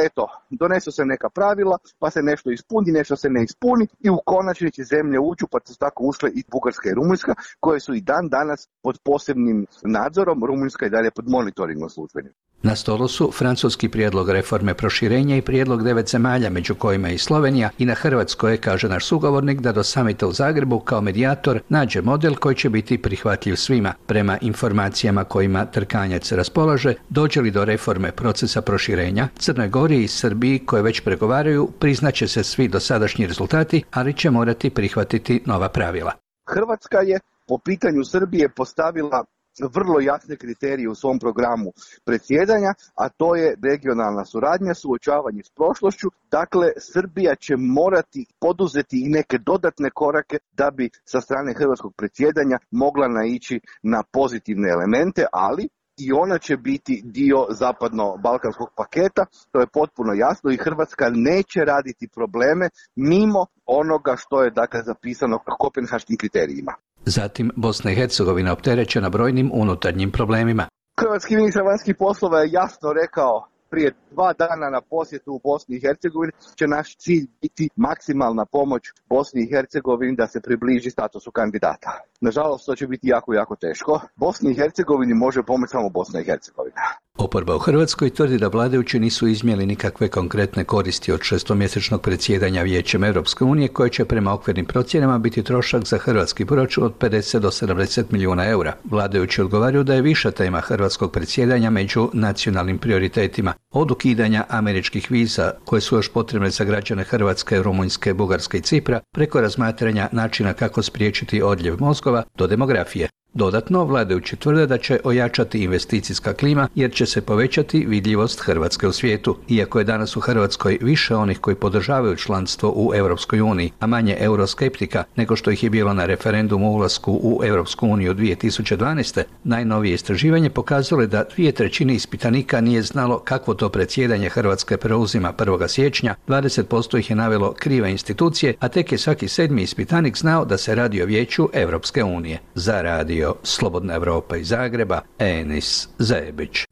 donesu se neka pravila, pa se nešto ispuni, nešto se ne ispuni i u konačnici zemlje uđu, pa su tako ušle i Bugarska i Rumunjska, koje su i dan danas pod posebnim nadzorom, Rumunjska i dalje pod monitoringom službenim. Na stolu su francuski prijedlog reforme proširenja i prijedlog 9 zemalja, među kojima i Slovenija, i na Hrvatskoj je, kaže naš sugovornik, da do samita u Zagrebu kao medijator nađe model koji će biti prihvatljiv svima. Prema informacijama kojima Trkanjac raspolaže, dođe li do reforme procesa proširenja, Crnoj Gori i Srbiji, koje već pregovaraju, priznaće se svi dosadašnji rezultati, ali će morati prihvatiti nova pravila. Hrvatska je po pitanju Srbije postavila vrlo jasne kriterije u svom programu predsjedanja, a to je regionalna suradnja, suočavanje s prošlošću. Dakle, Srbija će morati poduzeti i neke dodatne korake da bi sa strane hrvatskog predsjedanja mogla naići na pozitivne elemente, ali i ona će biti dio zapadno-balkanskog paketa, to je potpuno jasno i Hrvatska neće raditi probleme mimo onoga što je dakle zapisano kopenhaškim kriterijima. Zatim, Bosna i Hercegovina opterećena brojnim unutarnjim problemima. Hrvatski ministar vanjskih poslova je jasno rekao prije 2 dana na posjetu u Bosni i Hercegovini će naš cilj biti maksimalna pomoć Bosni i Hercegovini da se približi statusu kandidata. Nažalost, to će biti jako teško. Bosni i Hercegovini može pomoći samo Bosna i Hercegovina. Oporba u Hrvatskoj tvrdi da vladajući nisu iznijeli nikakve konkretne koristi od 6-mjesečnog predsjedanja Vijećem Europske unije, koje će prema okvirnim procjenama biti trošak za hrvatski proračun od 50 do 70 milijuna eura. Vladajući odgovaraju da je viša tema hrvatskog predsjedanja među nacionalnim prioritetima. Od ukidanja američkih viza, koje su još potrebne za građane Hrvatske, Rumunjske, Bugarske i Cipra, preko razmatranja načina kako spriječiti odljev mozgova do demografije. Dodatno, vladajući tvrde da će ojačati investicijska klima jer će se povećati vidljivost Hrvatske u svijetu. Iako je danas u Hrvatskoj više onih koji podržavaju članstvo u Europskoj uniji, a manje euroskeptika nego što ih je bilo na referendumu o ulasku u Europsku uniju 2012. Najnovije istraživanje pokazalo je da 2/3 ispitanika nije znalo kakvo to predsjedanje Hrvatske preuzima 1. siječnja, 20% ih je navelo krive institucije, a tek je svaki 7. ispitanik znao da se radi o Vijeću Europske unije. Za radio Slobodna Evropa iz Zagreba, Enis Zebić.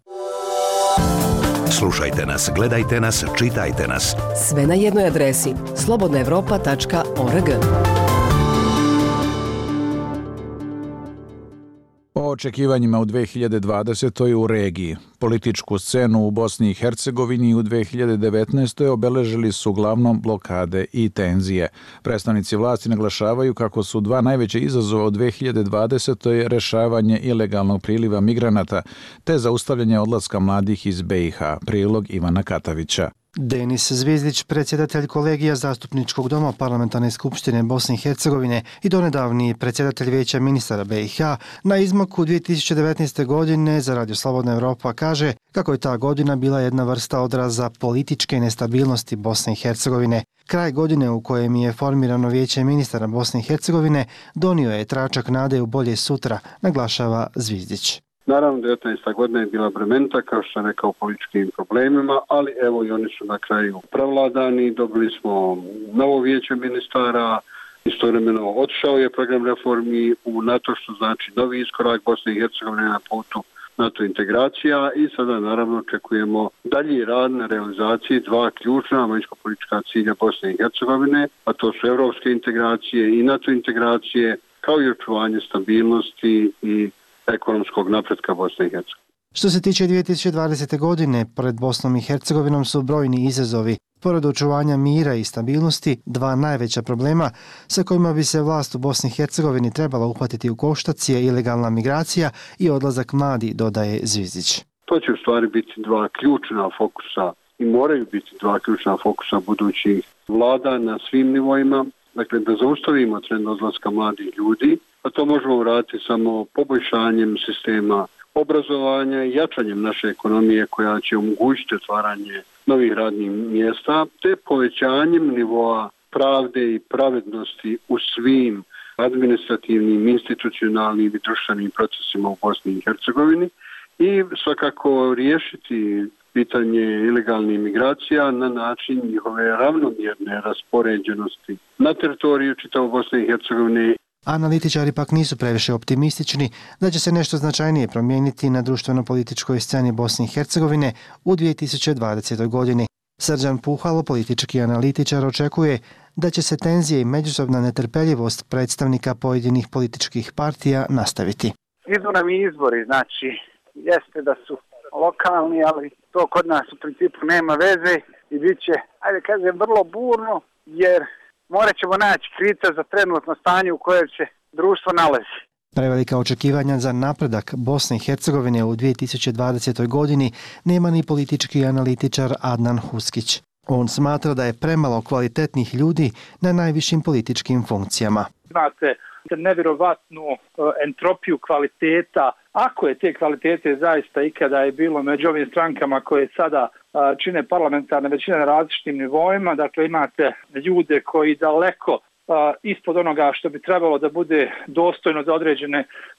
Slušajte nas, gledajte nas, čitajte nas. Sve na jednoj adresi slobodnaevropa.org. O očekivanjima u 2020. u regiji. Političku scenu u Bosni i Hercegovini u 2019. obeležili su uglavnom blokade i tenzije. Predstavnici vlasti naglašavaju kako su 2 najveća izazova u 2020. rešavanje ilegalnog priliva migranata te zaustavljanje odlaska mladih iz BiH. Prilog Ivana Katavića. Denis Zvizdić, predsjedatelj kolegija Zastupničkog doma Parlamentarne skupštine Bosne i Hercegovine i donedavni predsjedatelj Vijeća ministara BiH, na izmaku 2019. godine za Radio Slobodna Evropa kaže kako je ta godina bila jedna vrsta odraza političke nestabilnosti Bosne i Hercegovine. Kraj godine u kojem je formirano Vijeće ministara Bosne i Hercegovine donio je tračak nade u bolje sutra, naglašava Zvizdić. Naravno, 19. godina je bila bremenita, kao što sam rekao, u političkim problemima, ali evo i oni su na kraju prevladani. Dobili smo novo vijeće ministara, istovremeno otišao je program reformi u NATO, što znači novi iskorak Bosne i Hercegovine na putu NATO integracija i sada naravno očekujemo dalji rad na realizaciji 2 ključna vanjsko-politička cilja Bosne i Hercegovine, a to su evropske integracije i NATO integracije, kao i očuvanje stabilnosti i ekonomskog napretka Bosne i Hercegovine. Što se tiče 2020. godine, pred Bosnom i Hercegovinom su brojni izazovi. Pored očuvanja mira i stabilnosti, 2 najveća problema sa kojima bi se vlast u Bosni i Hercegovini trebala uhvatiti u koštac je ilegalna migracija i odlazak mladi, dodaje Zvizdić. To će u stvari biti 2 ključna fokusa i moraju biti 2 ključna fokusa budućih vlada na svim nivoima. Dakle, da zaustavimo trend odlaska mladih ljudi, a to možemo uraditi samo poboljšanjem sistema obrazovanja i jačanjem naše ekonomije koja će omogućiti otvaranje novih radnih mjesta, te povećanjem nivoa pravde i pravednosti u svim administrativnim, institucionalnim i društvenim procesima u Bosni i Hercegovini i svakako riješiti pitanje ilegalnih migracija na način njihove ravnomjerne raspoređenosti na teritoriju čitavo Bosne i Hercegovine. Analitičari pak nisu previše optimistični da će se nešto značajnije promijeniti na društveno-političkoj sceni Bosne i Hercegovine u 2020. godini. Srđan Puhalo, politički analitičar, očekuje da će se tenzije i međusobna netrpeljivost predstavnika pojedinih političkih partija nastaviti. Idu nam i izbori, znači jeste da su lokalni, ali to kod nas u principu nema veze i bit će, ajde kažem, vrlo burno, jer morat ćemo naći krivca za trenutno stanje u kojem se društvo nalazi. Prevelika očekivanja za napredak Bosne i Hercegovine u 2020. godini nema ni politički analitičar Adnan Huskić. On smatra da je premalo kvalitetnih ljudi na najvišim političkim funkcijama. Imate nevjerovatnu entropiju kvaliteta ako je te kvalitete zaista ikada je bilo među ovim strankama koje sada čine parlamentarne većine na različitim nivoima, dakle imate ljude koji daleko ispod onoga što bi trebalo da bude dostojno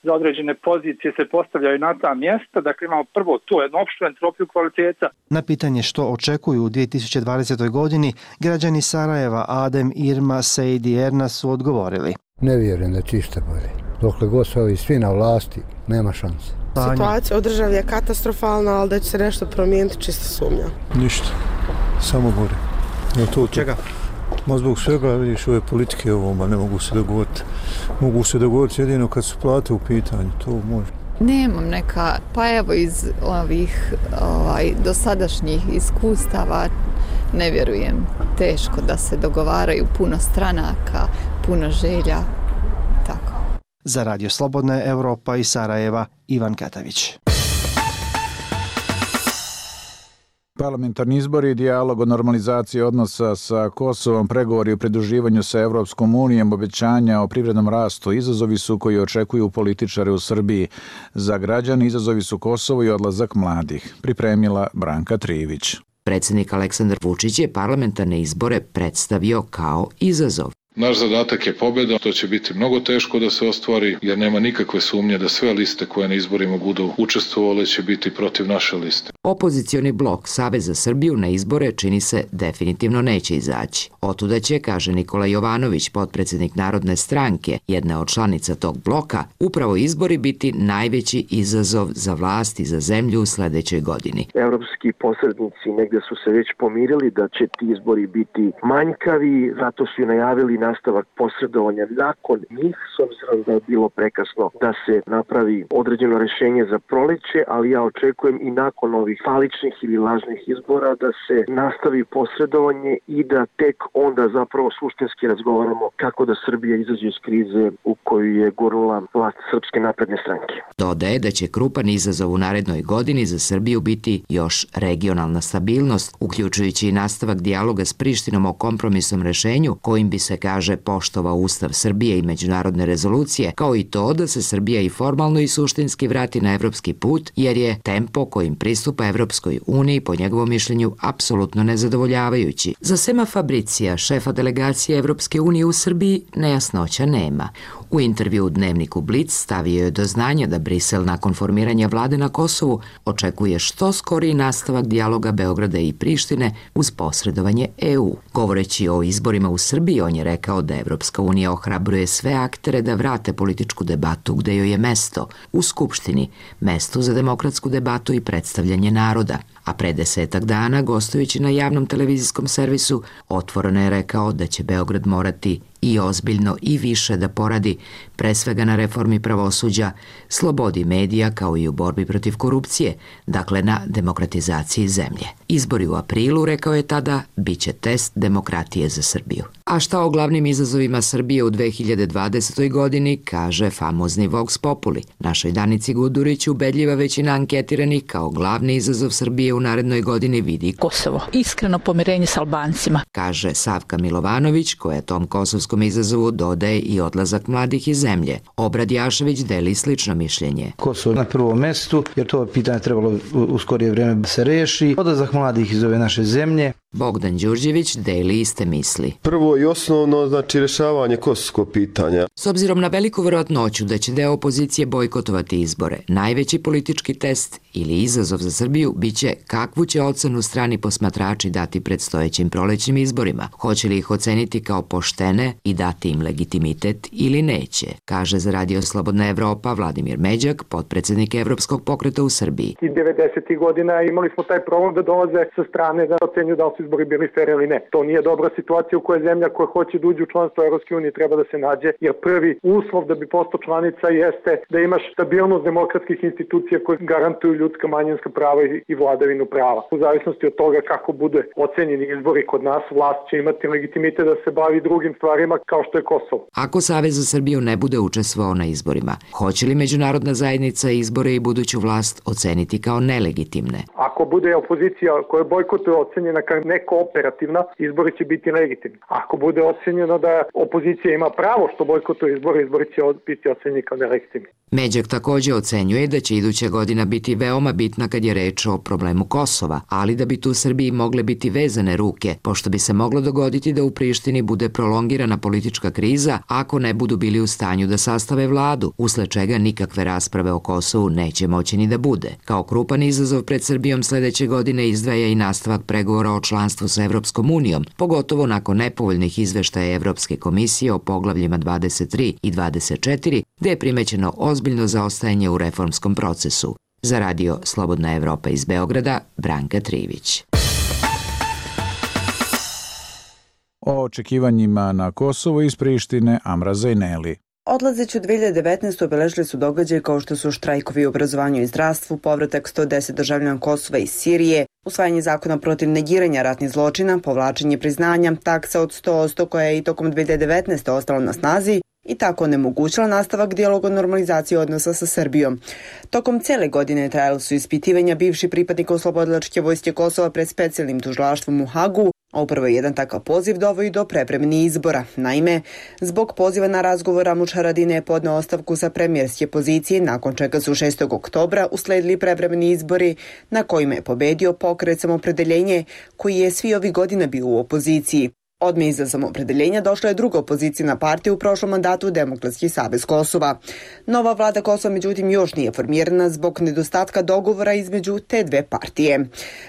za određene pozicije se postavljaju na ta mjesta. Dakle, imamo prvo tu jednu opštu entropiju kvaliteta. Na pitanje što očekuju u 2020. godini, građani Sarajeva Adem, Irma, Sejd i Erna su odgovorili. Ne vjerujem da će išta bolje. Dokle god su ovi svi na vlasti, nema šanse. Situacija u državi je katastrofalna, ali da će se nešto promijeniti, čisto sumnja. Ništa, samo gore. Čega? Ma zbog svega, vidiš, ove politike ovoma ne mogu se dogovoriti. Mogu se dogovoriti jedino kad su plate u pitanju, to može. Nemam neka, pa evo iz ovih dosadašnjih iskustava ne vjerujem. Teško da se dogovaraju, puno stranaka, puno želja, tako. Za Radio Slobodna Evropa iz Sarajeva, Ivan Katavić. Parlamentarni izbori i dijalog o normalizaciji odnosa sa Kosovom, pregovori o pridruživanju sa Evropskom unijom, obećanja o privrednom rastu, izazovi su koji očekuju političare u Srbiji. Za građane izazovi su Kosovo i odlazak mladih. Pripremila Branka Trivić. Predsjednik Aleksandar Vučić je parlamentarne izbore predstavio kao izazov. Naš zadatak je pobjeda, to će biti mnogo teško da se ostvari jer nema nikakve sumnje da sve liste koje na izborima budu učestvovale će biti protiv naše liste. Opozicioni blok Savez za Srbiju na izbore čini se definitivno neće izaći. Otuda će, kaže Nikola Jovanović, potpredsjednik Narodne stranke, jedna od članica tog bloka, upravo izbori biti najveći izazov za vlast i za zemlju u sljedećoj godini. Evropski posrednici negdje su se već pomirili da će ti izbori biti manjkavi, zato su i najavili nastavak posredovanja nakon njih, s obzirom da je bilo prekasno da se napravi određeno rješenje za proleće, ali ja očekujem i nakon ovih faličnih ili lažnih izbora da se nastavi posredovanje i da tek onda zapravo suštinski razgovaramo kako da Srbija izađe iz krize u koju je gurnula vlast Srpske napredne stranke. Dodaje da će krupan izazov u narednoj godini za Srbiju biti još regionalna stabilnost, uključujući i nastavak dijaloga s Prištinom o kompromisnom rješenju kojim bi se, kaže, poštovao Ustav Srbije i međunarodne rezolucije, kao i to da se Srbija i formalno i suštinski vrati na evropski put, jer je tempo kojim pristupa Evropskoj uniji, po njegovom mišljenju, apsolutno nezadovoljavajući. Za Sema Fabricija, šefa delegacije Evropske unije u Srbiji, nejasnoća nema. U intervju u dnevniku Blic stavio je do znanja da Brisel nakon formiranja vlade na Kosovu očekuje što skoriji nastavak dijaloga Beograda i Prištine uz posredovanje EU. Govoreći o izborima u Srbiji, on je rekao da Evropska unija ohrabruje sve aktere da vrate političku debatu gde joj je mesto, u Skupštini, mesto za demokratsku debatu i predstavljanje naroda. A pre 10 dana, gostujući na javnom televizijskom servisu, otvoreno je rekao da će Beograd morati i ozbiljno i više da poradi, pre svega na reformi pravosuđa, slobodi medija kao i u borbi protiv korupcije, dakle na demokratizaciji zemlje. Izbori u aprilu, rekao je tada, bit će test demokratije za Srbiju. A šta o glavnim izazovima Srbije u 2020. godini, kaže famozni Vox Populi. Našoj Danici Gudurić ubedljiva većina anketiranih kao glavni izazov Srbije u narednoj godini vidi Kosovo. Iskreno pomirenje s Albancima. Kaže Savka Milovanović, koja tom kosovskom izazovu dodaje i odlazak mladih iz zemlje. Obrad Jašević deli slično mišljenje. Kosovo na prvom mestu, jer to pitanje trebalo u skorije vrijeme da se reši. Odlazak mladih iz ove naše zemlje. Bogdan Đurđević deli iste misli. Prvo i osnovno, znači rješavanje kosovskog pitanja. S obzirom na veliku vjerojatnoću da će deo opozicije bojkotovati izbore, najveći politički test ili izazov za Srbiju biće kakvu će ocenu strani posmatrači dati predstojećim prolećnim izborima. Hoće li ih oceniti kao poštene i dati im legitimitet ili neće, kaže za Radio Slobodna Evropa Vladimir Međak, potpredsjednik Evropskog pokreta u Srbiji. I 90. godina imali smo taj problem da dolaze sa strane da ocenju da li su izbori bili fer ili ne. To nije dobra situacija u kojoj zemlja koja hoće da uđe u članstvo Evropske unije treba da se nađe, jer prvi uslov da bi postao članica jeste da imaš stabilnost demokratskih institucija koje garantuju ljudska manjinska prava i vladavinu prava. U zavisnosti od toga kako bude ocenjeni izbori kod nas, vlast će imati legitimitet da se bavi drugim stvarima kao što je Kosovo. Ako Savez za Srbiju ne bude učestvovao na izborima, hoće li međunarodna zajednica izbore i buduću vlast oceniti kao nelegitimne? Ako Ako bude opozicija koja bojkotuje ocenjena kao nekooperativna, izbori će biti legitimni. Ako bude ocenjeno da opozicija ima pravo što bojkotuje izbori, izbori će biti ocenjeni kao nelegitimni. Međak takođe ocenjuje da će iduća godina biti veoma bitna kad je reč o problemu Kosova, ali da bi tu Srbiji mogle biti vezane ruke, pošto bi se moglo dogoditi da u Prištini bude prolongirana politička kriza ako ne budu bili u stanju da sastave vladu, usled čega nikakve rasprave o Kosovu neće moći ni da bude. Kao krupan izazov pred Srbijom sledeće godine izdvaja i nastavak pregovora o članstvu sa Evropskom unijom, pogotovo nakon nepovoljnih izveštaja Evropske komisije o poglavljima 23 i 24, gde je primećeno ozbiljno zaostajanje u reformskom procesu. Za radio Slobodna Evropa iz Beograda, Branka Trivić. O očekivanjima na Kosovo iz Prištine, Amra Zajneli. Odlazeći u 2019. obeležili su događaje kao što su štrajkovi u obrazovanju i zdravstvu, povratak 110 državljana Kosova iz Sirije, usvajanje zakona protiv negiranja ratnih zločina, povlačenje priznanja, taksa od 100% koja je i tokom 2019. ostala na snazi i tako onemogućila nastavak dijaloga o normalizaciji odnosa sa Srbijom. Tokom cele godine trajala su ispitivanja bivših pripadnika Oslobodilačke vojske Kosova pred specijalnim tužilaštvom u Hagu, a upravo jedan takav poziv dovodi do prevremenih izbora. Naime, zbog poziva na razgovor Ramuš Haradinaj je podneo ostavku sa premijerske pozicije, nakon čega su 6. oktobra usledili prevremeni izbori na kojima je pobedio Pokret Samopredeljenje, koji je svi ovih godina bio u opoziciji. Odmah iza Samopredeljenja došla je druga opozicijna partija u prošlom mandatu, Demokratski savez Kosova. Nova vlada Kosova međutim još nije formirana zbog nedostatka dogovora između te dve partije.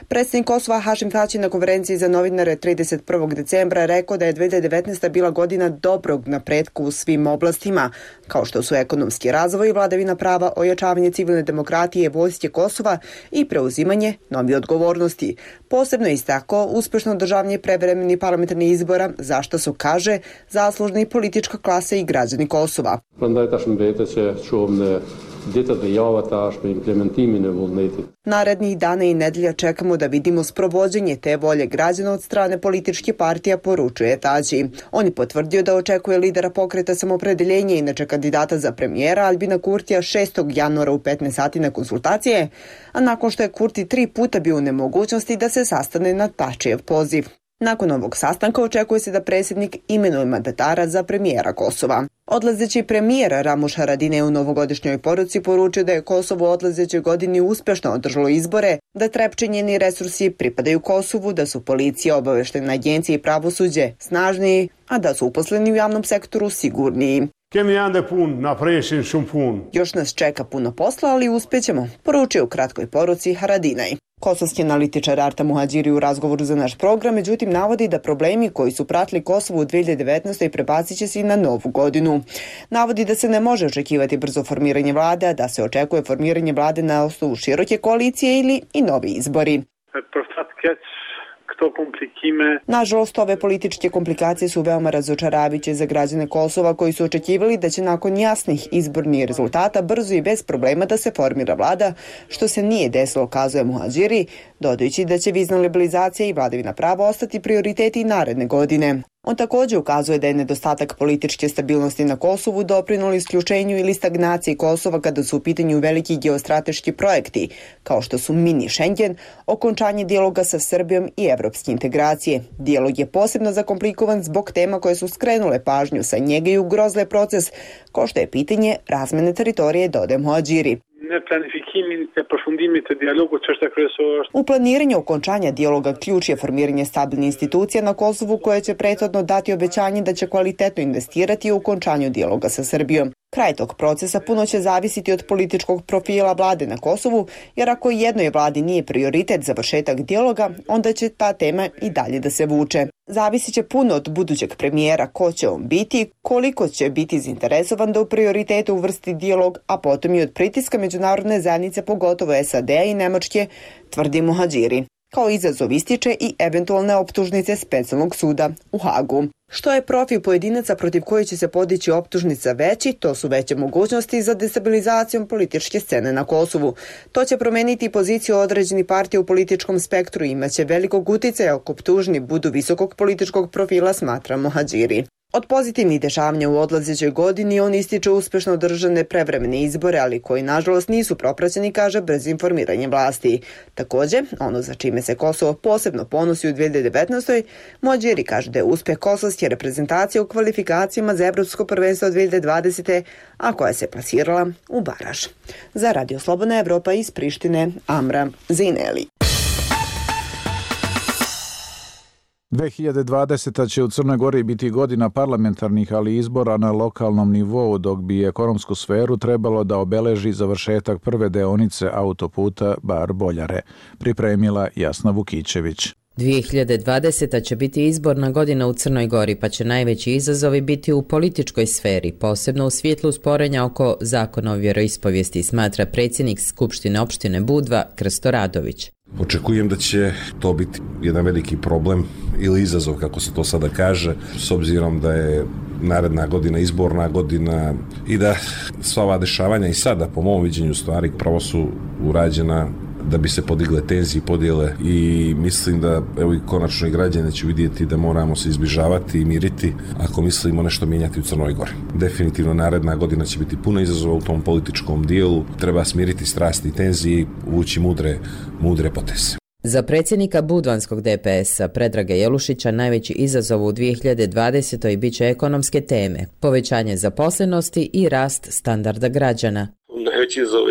Predsjednik Kosova Hašim Tači na konferenciji za novinare 31. decembra rekao da je 2019. bila godina dobrog napretka u svim oblastima, kao što su ekonomski razvoj, vladavina prava, ojačavanje civilne demokratije, vojske Kosova i preuzimanje novih odgovornosti. Posebno je istakao uspešno održavanje prevremenih parlamentarnih izbora, za što su, kaže, zaslužni politička klasa i građani Kosova. Narednih dana i nedelja čekamo da vidimo sprovođenje te volje građana od strane političkih partija, poručuje Tači. On je potvrdio da očekuje lidera Pokreta Samopredeljenja, inače kandidata za premijera Albina Kurtija 6. januara u 15 sati na konsultacije, a nakon što je Kurti 3 puta bio u nemogućnosti da se sastane na Tačijev poziv. Nakon ovog sastanka očekuje se da predsjednik imenuje mandatara za premijera Kosova. Odlazeći premijer Ramuš Haradinaj u novogodišnjoj poruci poručio da je Kosovo u odlazećoj godini uspešno održalo izbore, da Trepče i njeni resursi pripadaju Kosovu, da su policija, obaveštene agencije i pravosuđe snažniji, a da su uposleni u javnom sektoru sigurniji. Još nas čeka puno posla, ali uspjećemo, poručio u kratkoj poruci Haradinaj. Kosovski analitičar Arta Muhađiri u razgovoru za naš program, međutim, navodi da problemi koji su pratili Kosovo u 2019. prebacit će se i na novu godinu. Navodi da se ne može očekivati brzo formiranje vlade, a da se očekuje formiranje vlade na osnovu široke koalicije ili i novi izbori. Nažalost, ove političke komplikacije su veoma razočaravajuće za građane Kosova koji su očekivali da će nakon jasnih izbornih rezultata brzo i bez problema da se formira vlada, što se nije desilo, kazuje Muhađiri, dodajući da će vizna liberalizacija i vladavina prava ostati prioriteti i naredne godine. On također ukazuje da je nedostatak političke stabilnosti na Kosovu doprinuli isključenju ili stagnaciji Kosova kada su u pitanju veliki geostrateški projekti, kao što su mini Schengen, okončanje dijaloga sa Srbijom i evropske integracije. Dijalog je posebno zakomplikovan zbog tema koje su skrenule pažnju sa njega i ugrozile proces, kao što je pitanje razmene teritorije, dodaje Muhađiri. U planiranju okončanja dijaloga ključ je formiranje stabilnih institucija na Kosovu koje će prethodno dati obećanje da će kvalitetno investirati u okončanju dijaloga sa Srbijom. Kraj tog procesa puno će zavisiti od političkog profila vlade na Kosovu, jer ako jednoj vladi nije prioritet završetak dijaloga, onda će ta tema i dalje da se vuče. Zavisit će puno od budućeg premijera, ko će on biti, koliko će biti zainteresovan da u prioritetu uvrsti dijalog, a potom i od pritiska međunarodne zajednice, pogotovo SAD-a i Nemačke, tvrdi Muhađiri. Kao izazov ističe i eventualne optužnice specijalnog suda u Hagu. Što je profil pojedinaca protiv koji će se podići optužnica veći, to su veće mogućnosti za destabilizacijom političke scene na Kosovu. To će promeniti poziciju određenih partija u političkom spektru i imaće velikog uticaja ako optužni budu visokog političkog profila, smatra Muhađiri. Od pozitivnih dešavanja u odlazećoj godini on ističe uspešno održane prevremene izbore, ali koji nažalost nisu propraćeni, kaže, bez informiranja vlasti. Takođe, ono za čime se Kosovo posebno ponosi u 2019. Mođeri kaže da je uspeh kosovske reprezentacije u kvalifikacijama za Evropsko prvenstvo 2020. a koja se plasirala u baraž. Za Radio Slobodna Evropa iz Prištine, Amra Zineli. 2020. će u Crnoj Gori biti godina parlamentarnih, ali izbora na lokalnom nivou, dok bi ekonomsku sferu trebalo da obeleži završetak prve deonice autoputa Bar-Boljare, pripremila Jasna Vukićević. 2020. će biti izborna godina u Crnoj Gori, pa će najveći izazovi biti u političkoj sferi, posebno u svjetlu sporenja oko zakona o vjeroispovijesti, smatra predsjednik Skupštine opštine Budva Krsto Radović. Očekujem da će to biti jedan veliki problem ili izazov, kako se to sada kaže, s obzirom da je naredna godina izborna godina i da sva ova dešavanja i sada, po mom viđenju stvari, pravo su urađena da bi se podigle tenzije i podjele i mislim da evo i konačno i građani će vidjeti da moramo se izbližavati i miriti ako mislimo nešto mijenjati u Crnoj Gori. Definitivno naredna godina će biti puno izazova u tom političkom dijelu, treba smiriti strasti i tenzije i uvući mudre poteze. Za predsjednika budvanskog DPS-a Predraga Jelušića najveći izazov u 2020. bit će ekonomske teme, povećanje zaposlenosti i rast standarda građana. Najveći izazov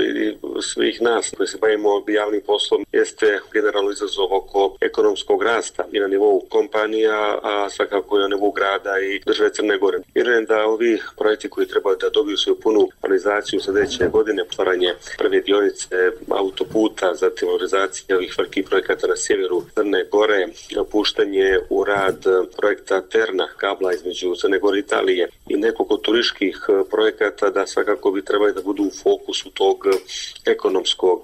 svih nas koji se bavimo javnim poslom jeste generalno izazov oko ekonomskog rasta i na nivou kompanija, a svakako i na nivou grada i države Crne Gore. Vjerujem da ovi projekti koji trebaju da dobiju svoju punu realizaciju sljedeće godine, otvaranje prve dionice autoputa, zatim realizacija ovih velikih projekata na sjeveru Crne Gore, puštanje u rad projekta Terna, kabla između Crne Gore i Italije i nekoliko turističkih projekata da svakako bi trebali da budu u fokusu tog ekonomskog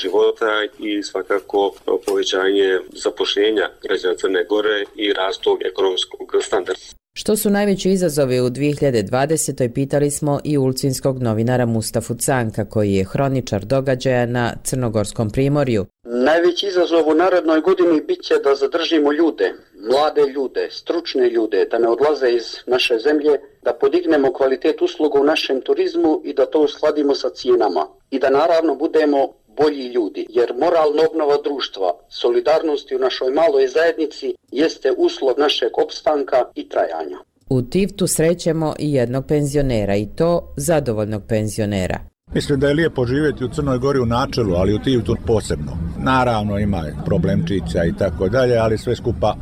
života i svakako povećanje zapošljenja građana Crne Gore i rast tog ekonomskog standarda. Što su najveći izazovi u 2020. pitali smo i ulcinskog novinara Mustafu Canka, koji je hroničar događaja na Crnogorskom primorju. Najveći izazov u narednoj godini bit će da zadržimo ljude, mlade ljude, stručne ljude, da ne odlaze iz naše zemlje, da podignemo kvalitet usluga u našem turizmu i da to uskladimo sa cijenama. I da naravno budemo bolji ljudi, jer moralna obnova društva, solidarnosti u našoj maloj zajednici jeste uslov našeg opstanka i trajanja. U Tivtu srećemo i jednog penzionera, i to zadovoljnog penzionera. Mislim da je lijepo živjeti u Crnoj Gori u načelu, ali u Tivtu posebno. Naravno ima problemčića i tako dalje, ali sve skupa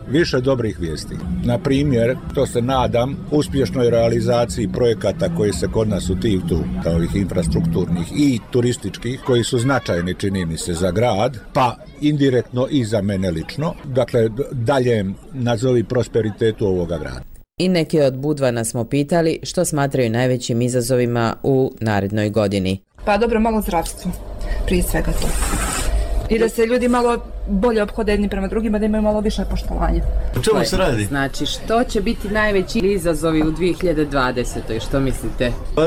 više dobrih vijesti. Na primjer, to se nadam, uspješnoj realizaciji projekata koji se kod nas u Tivtu, kao ovih infrastrukturnih i turističkih, koji su značajni, čini mi se, za grad, pa indirektno i za mene lično, dakle daljem nazovi prosperitetu ovoga grada. I neki od Budvana smo pitali što smatraju najvećim izazovima u narednoj godini. Pa dobro, malo zdravstvo, prije svega to. I da se ljudi malo bolje ophode jedni prema drugima, da imaju malo više poštovanja. O čemu se radi? Znači, što će biti najveći izazovi u 2020. Što mislite? Pa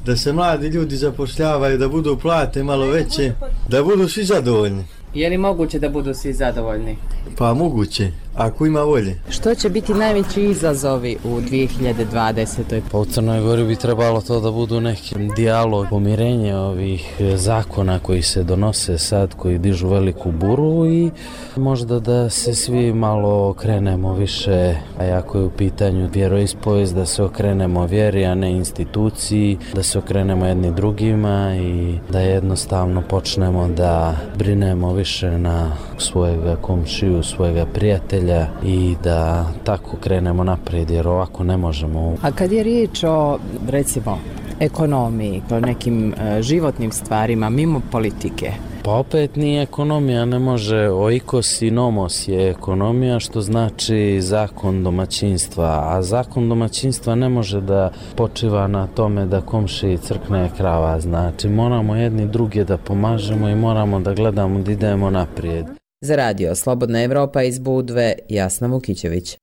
da se mladi ljudi zapošljavaju, da budu plate malo veće, da budu svi zadovoljni. Je li moguće da budu svi zadovoljni? Pa moguće, ako ima volje. Što će biti najveći izazovi u 2020. Pa u Crnoj Gori bi trebalo to da budu neki dijalog, pomirenje ovih zakona koji se donose sad, koji dižu veliku buru i možda da se svi malo okrenemo više, a ako je u pitanju vjeroispovijest, da se okrenemo vjeri, a ne instituciji, da se okrenemo jedni drugima i da jednostavno počnemo da brinemo više na svojega komšiju, svojega prijatelja i da tako krenemo naprijed, jer ovako ne možemo. A kad je riječ o, recimo, ekonomiji, o nekim životnim stvarima, mimo politike? Pa opet ni ekonomija ne može, oikos i nomos je ekonomija, što znači zakon domaćinstva, a zakon domaćinstva ne može da počiva na tome da komšiji crkne krava, znači moramo jedni druge da pomažemo i moramo da gledamo da idemo naprijed. Za Radio Slobodna Evropa iz Budve, Jasna Vukićević.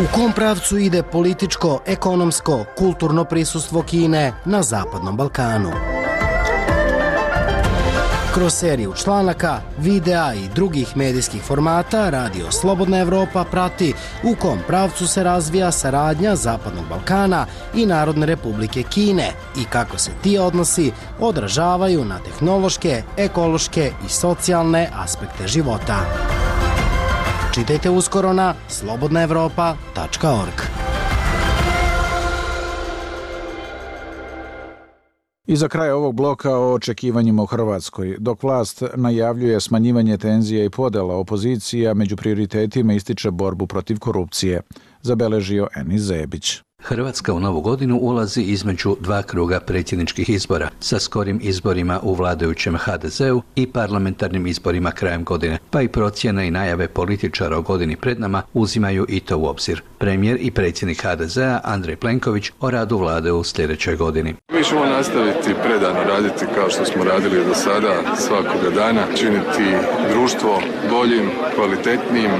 U kom pravcu ide političko, ekonomsko, kulturno prisustvo Kine na Zapadnom Balkanu? Kroz seriju članaka, videa i drugih medijskih formata Radio Slobodna Evropa prati u kom pravcu se razvija saradnja Zapadnog Balkana i Narodne Republike Kine i kako se ti odnosi odražavaju na tehnološke, ekološke i socijalne aspekte života. Čitajte uskoro na slobodnaevropa.org. I za kraj ovog bloka o očekivanjima u Hrvatskoj. Dok vlast najavljuje smanjivanje tenzija i podela, opozicija među prioritetima ističe borbu protiv korupcije, zabeležio Enis Zebić. Hrvatska u novu godinu ulazi između dva kruga predsjedničkih izbora, sa skorim izborima u vladajućem HDZ-u i parlamentarnim izborima krajem godine, pa i procjene i najave političara o godini pred nama uzimaju i to u obzir. Premijer i predsjednik HDZ-a Andrej Plenković o radu vlade u sljedećoj godini. Mi ćemo nastaviti predano raditi kao što smo radili do sada, svakoga dana, činiti društvo boljim, kvalitetnijim,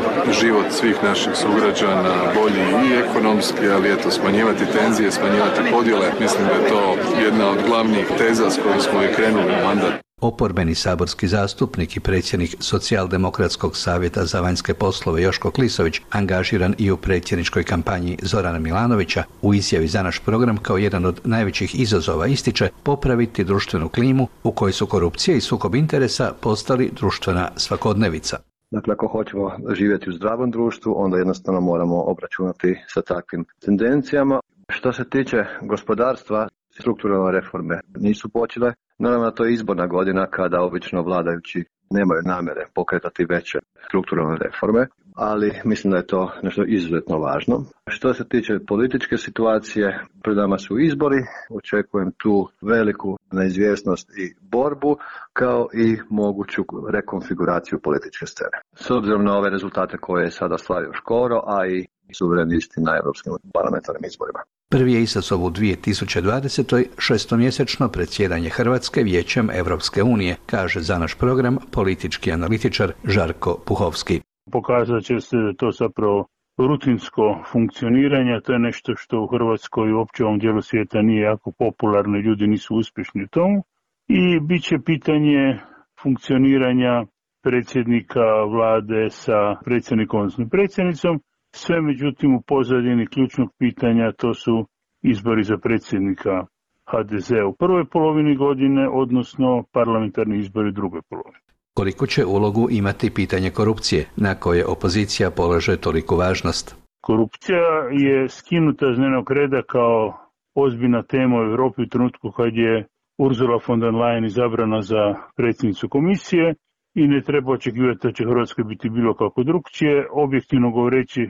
život svih naših sugrađana bolji i ekonomski, ali eto smanjivati tenzije, smanjivati podjele. Mislim da je to jedna od glavnih teza s kojom smo i krenuli u mandat. Oporbeni saborski zastupnik i predsjednik Socijaldemokratskog savjeta za vanjske poslove Joško Klisović, angažiran i u predsjedničkoj kampanji Zorana Milanovića, u izjavi za naš program kao jedan od najvećih izazova ističe popraviti društvenu klimu u kojoj su korupcija i sukob interesa postali društvena svakodnevica. Dakle, ako hoćemo živjeti u zdravom društvu, onda jednostavno moramo obračunati sa takvim tendencijama. Što se tiče gospodarstva, strukturalne reforme nisu počele. Naravno, to je izborna godina kada obično vladajući nemaju namjere pokretati veće strukturalne reforme, ali mislim da je to nešto izuzetno važno. Što se tiče političke situacije, pred nama su izbori, očekujem tu veliku neizvjesnost i borbu, kao i moguću rekonfiguraciju političke scene. S obzirom na ove rezultate koje je sada slavio Škoro, a i suverenisti na europskim parlamentarnim izborima. Prvi je izazov u 2020. šestomjesečno predsjedanje Hrvatske Vijećem Evropske unije, kaže za naš program politički analitičar Žarko Puhovski. Pokazat će se da to zapravo rutinsko funkcioniranje, to je nešto što u Hrvatskoj i uopće u ovom dijelu svijeta nije jako popularno, ljudi nisu uspješni u tomu. I bit će pitanje funkcioniranja predsjednika vlade sa predsjednikom, odnosno predsjednicom. Sve međutim u pozadini ključnog pitanja to su izbori za predsjednika HDZ u prvoj polovini godine, odnosno parlamentarni izbori u drugoj polovini. Koliko će ulogu imati pitanje korupcije, na koje opozicija polaže toliku važnost? Korupcija je skinuta s dnevnog reda kao ozbiljna tema u Europi u trenutku kad je Ursula von der Leyen izabrana za predsjednicu komisije i ne treba očekivati da će Hrvatskoj biti bilo kako drugčije. Objektivno govoreći,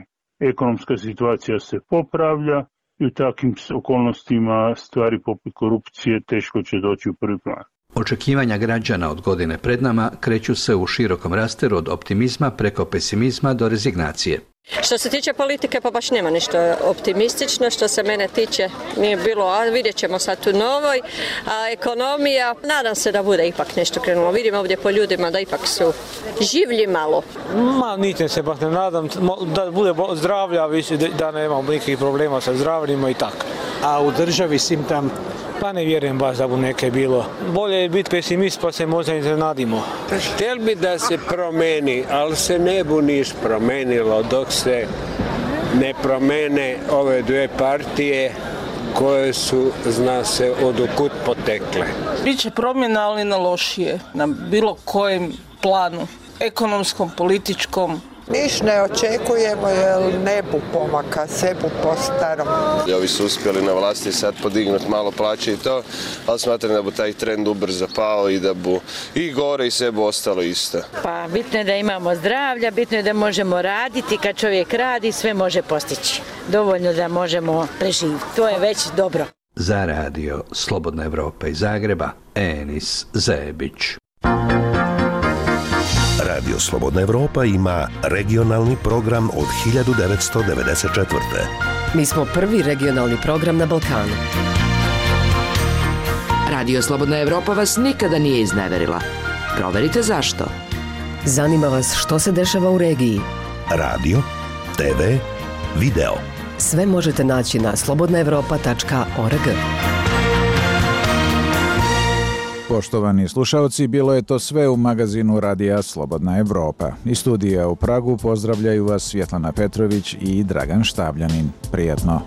ekonomska situacija se popravlja i u takvim okolnostima stvari poput korupcije teško će doći u prvi plan. Očekivanja građana od godine pred nama kreću se u širokom rasteru od optimizma preko pesimizma do rezignacije. Što se tiče politike, pa baš nema ništa optimistično. Što se mene tiče, nije bilo, a vidjet ćemo sad u novoj. A ekonomija, nadam se da bude ipak nešto krenulo. Vidimo ovdje po ljudima da ipak su življi malo. Ničem se baš ne nadam, da bude zdravlja, da nemamo nikakvih problema sa zdravljima i tako. A u državi svim tam, pa ne vjerujem baš da bu neke bilo. Bolje je biti pesimist pa se možda iznenadimo. Htjel bi da se promeni, ali se ne bu niš promenilo dok se ne promene ove dvije partije koje su, zna se, odokud potekle. Biće promjena, ali na lošije, na bilo kojem planu, ekonomskom, političkom. Niš ne očekujemo jer ne bu pomaka, sve bu po starom. Ovi su uspjeli na vlasti sad podignuti malo plaće i to, ali smatram da bu taj trend ubrzo pao i da bu i gore i sve bu ostalo isto. Pa bitno je da imamo zdravlja, bitno je da možemo raditi, kad čovjek radi sve može postići. Dovoljno da možemo preživjeti, to je već dobro. Za radio Slobodna Evropa iz Zagreba, Enis Zebić. Radio Slobodna Evropa ima regionalni program od 1994. Mi smo prvi regionalni program na Balkanu. Radio Slobodna Evropa vas nikada nije izneverila. Proverite zašto. Zanima vas što se dešava u regiji. Radio, TV, video. Sve možete naći na slobodnaevropa.org. Poštovani slušalci, bilo je to sve u magazinu Radija Slobodna Evropa. Iz studija u Pragu pozdravljaju vas Svjetlana Petrović i Dragan Štabljanin. Prijatno.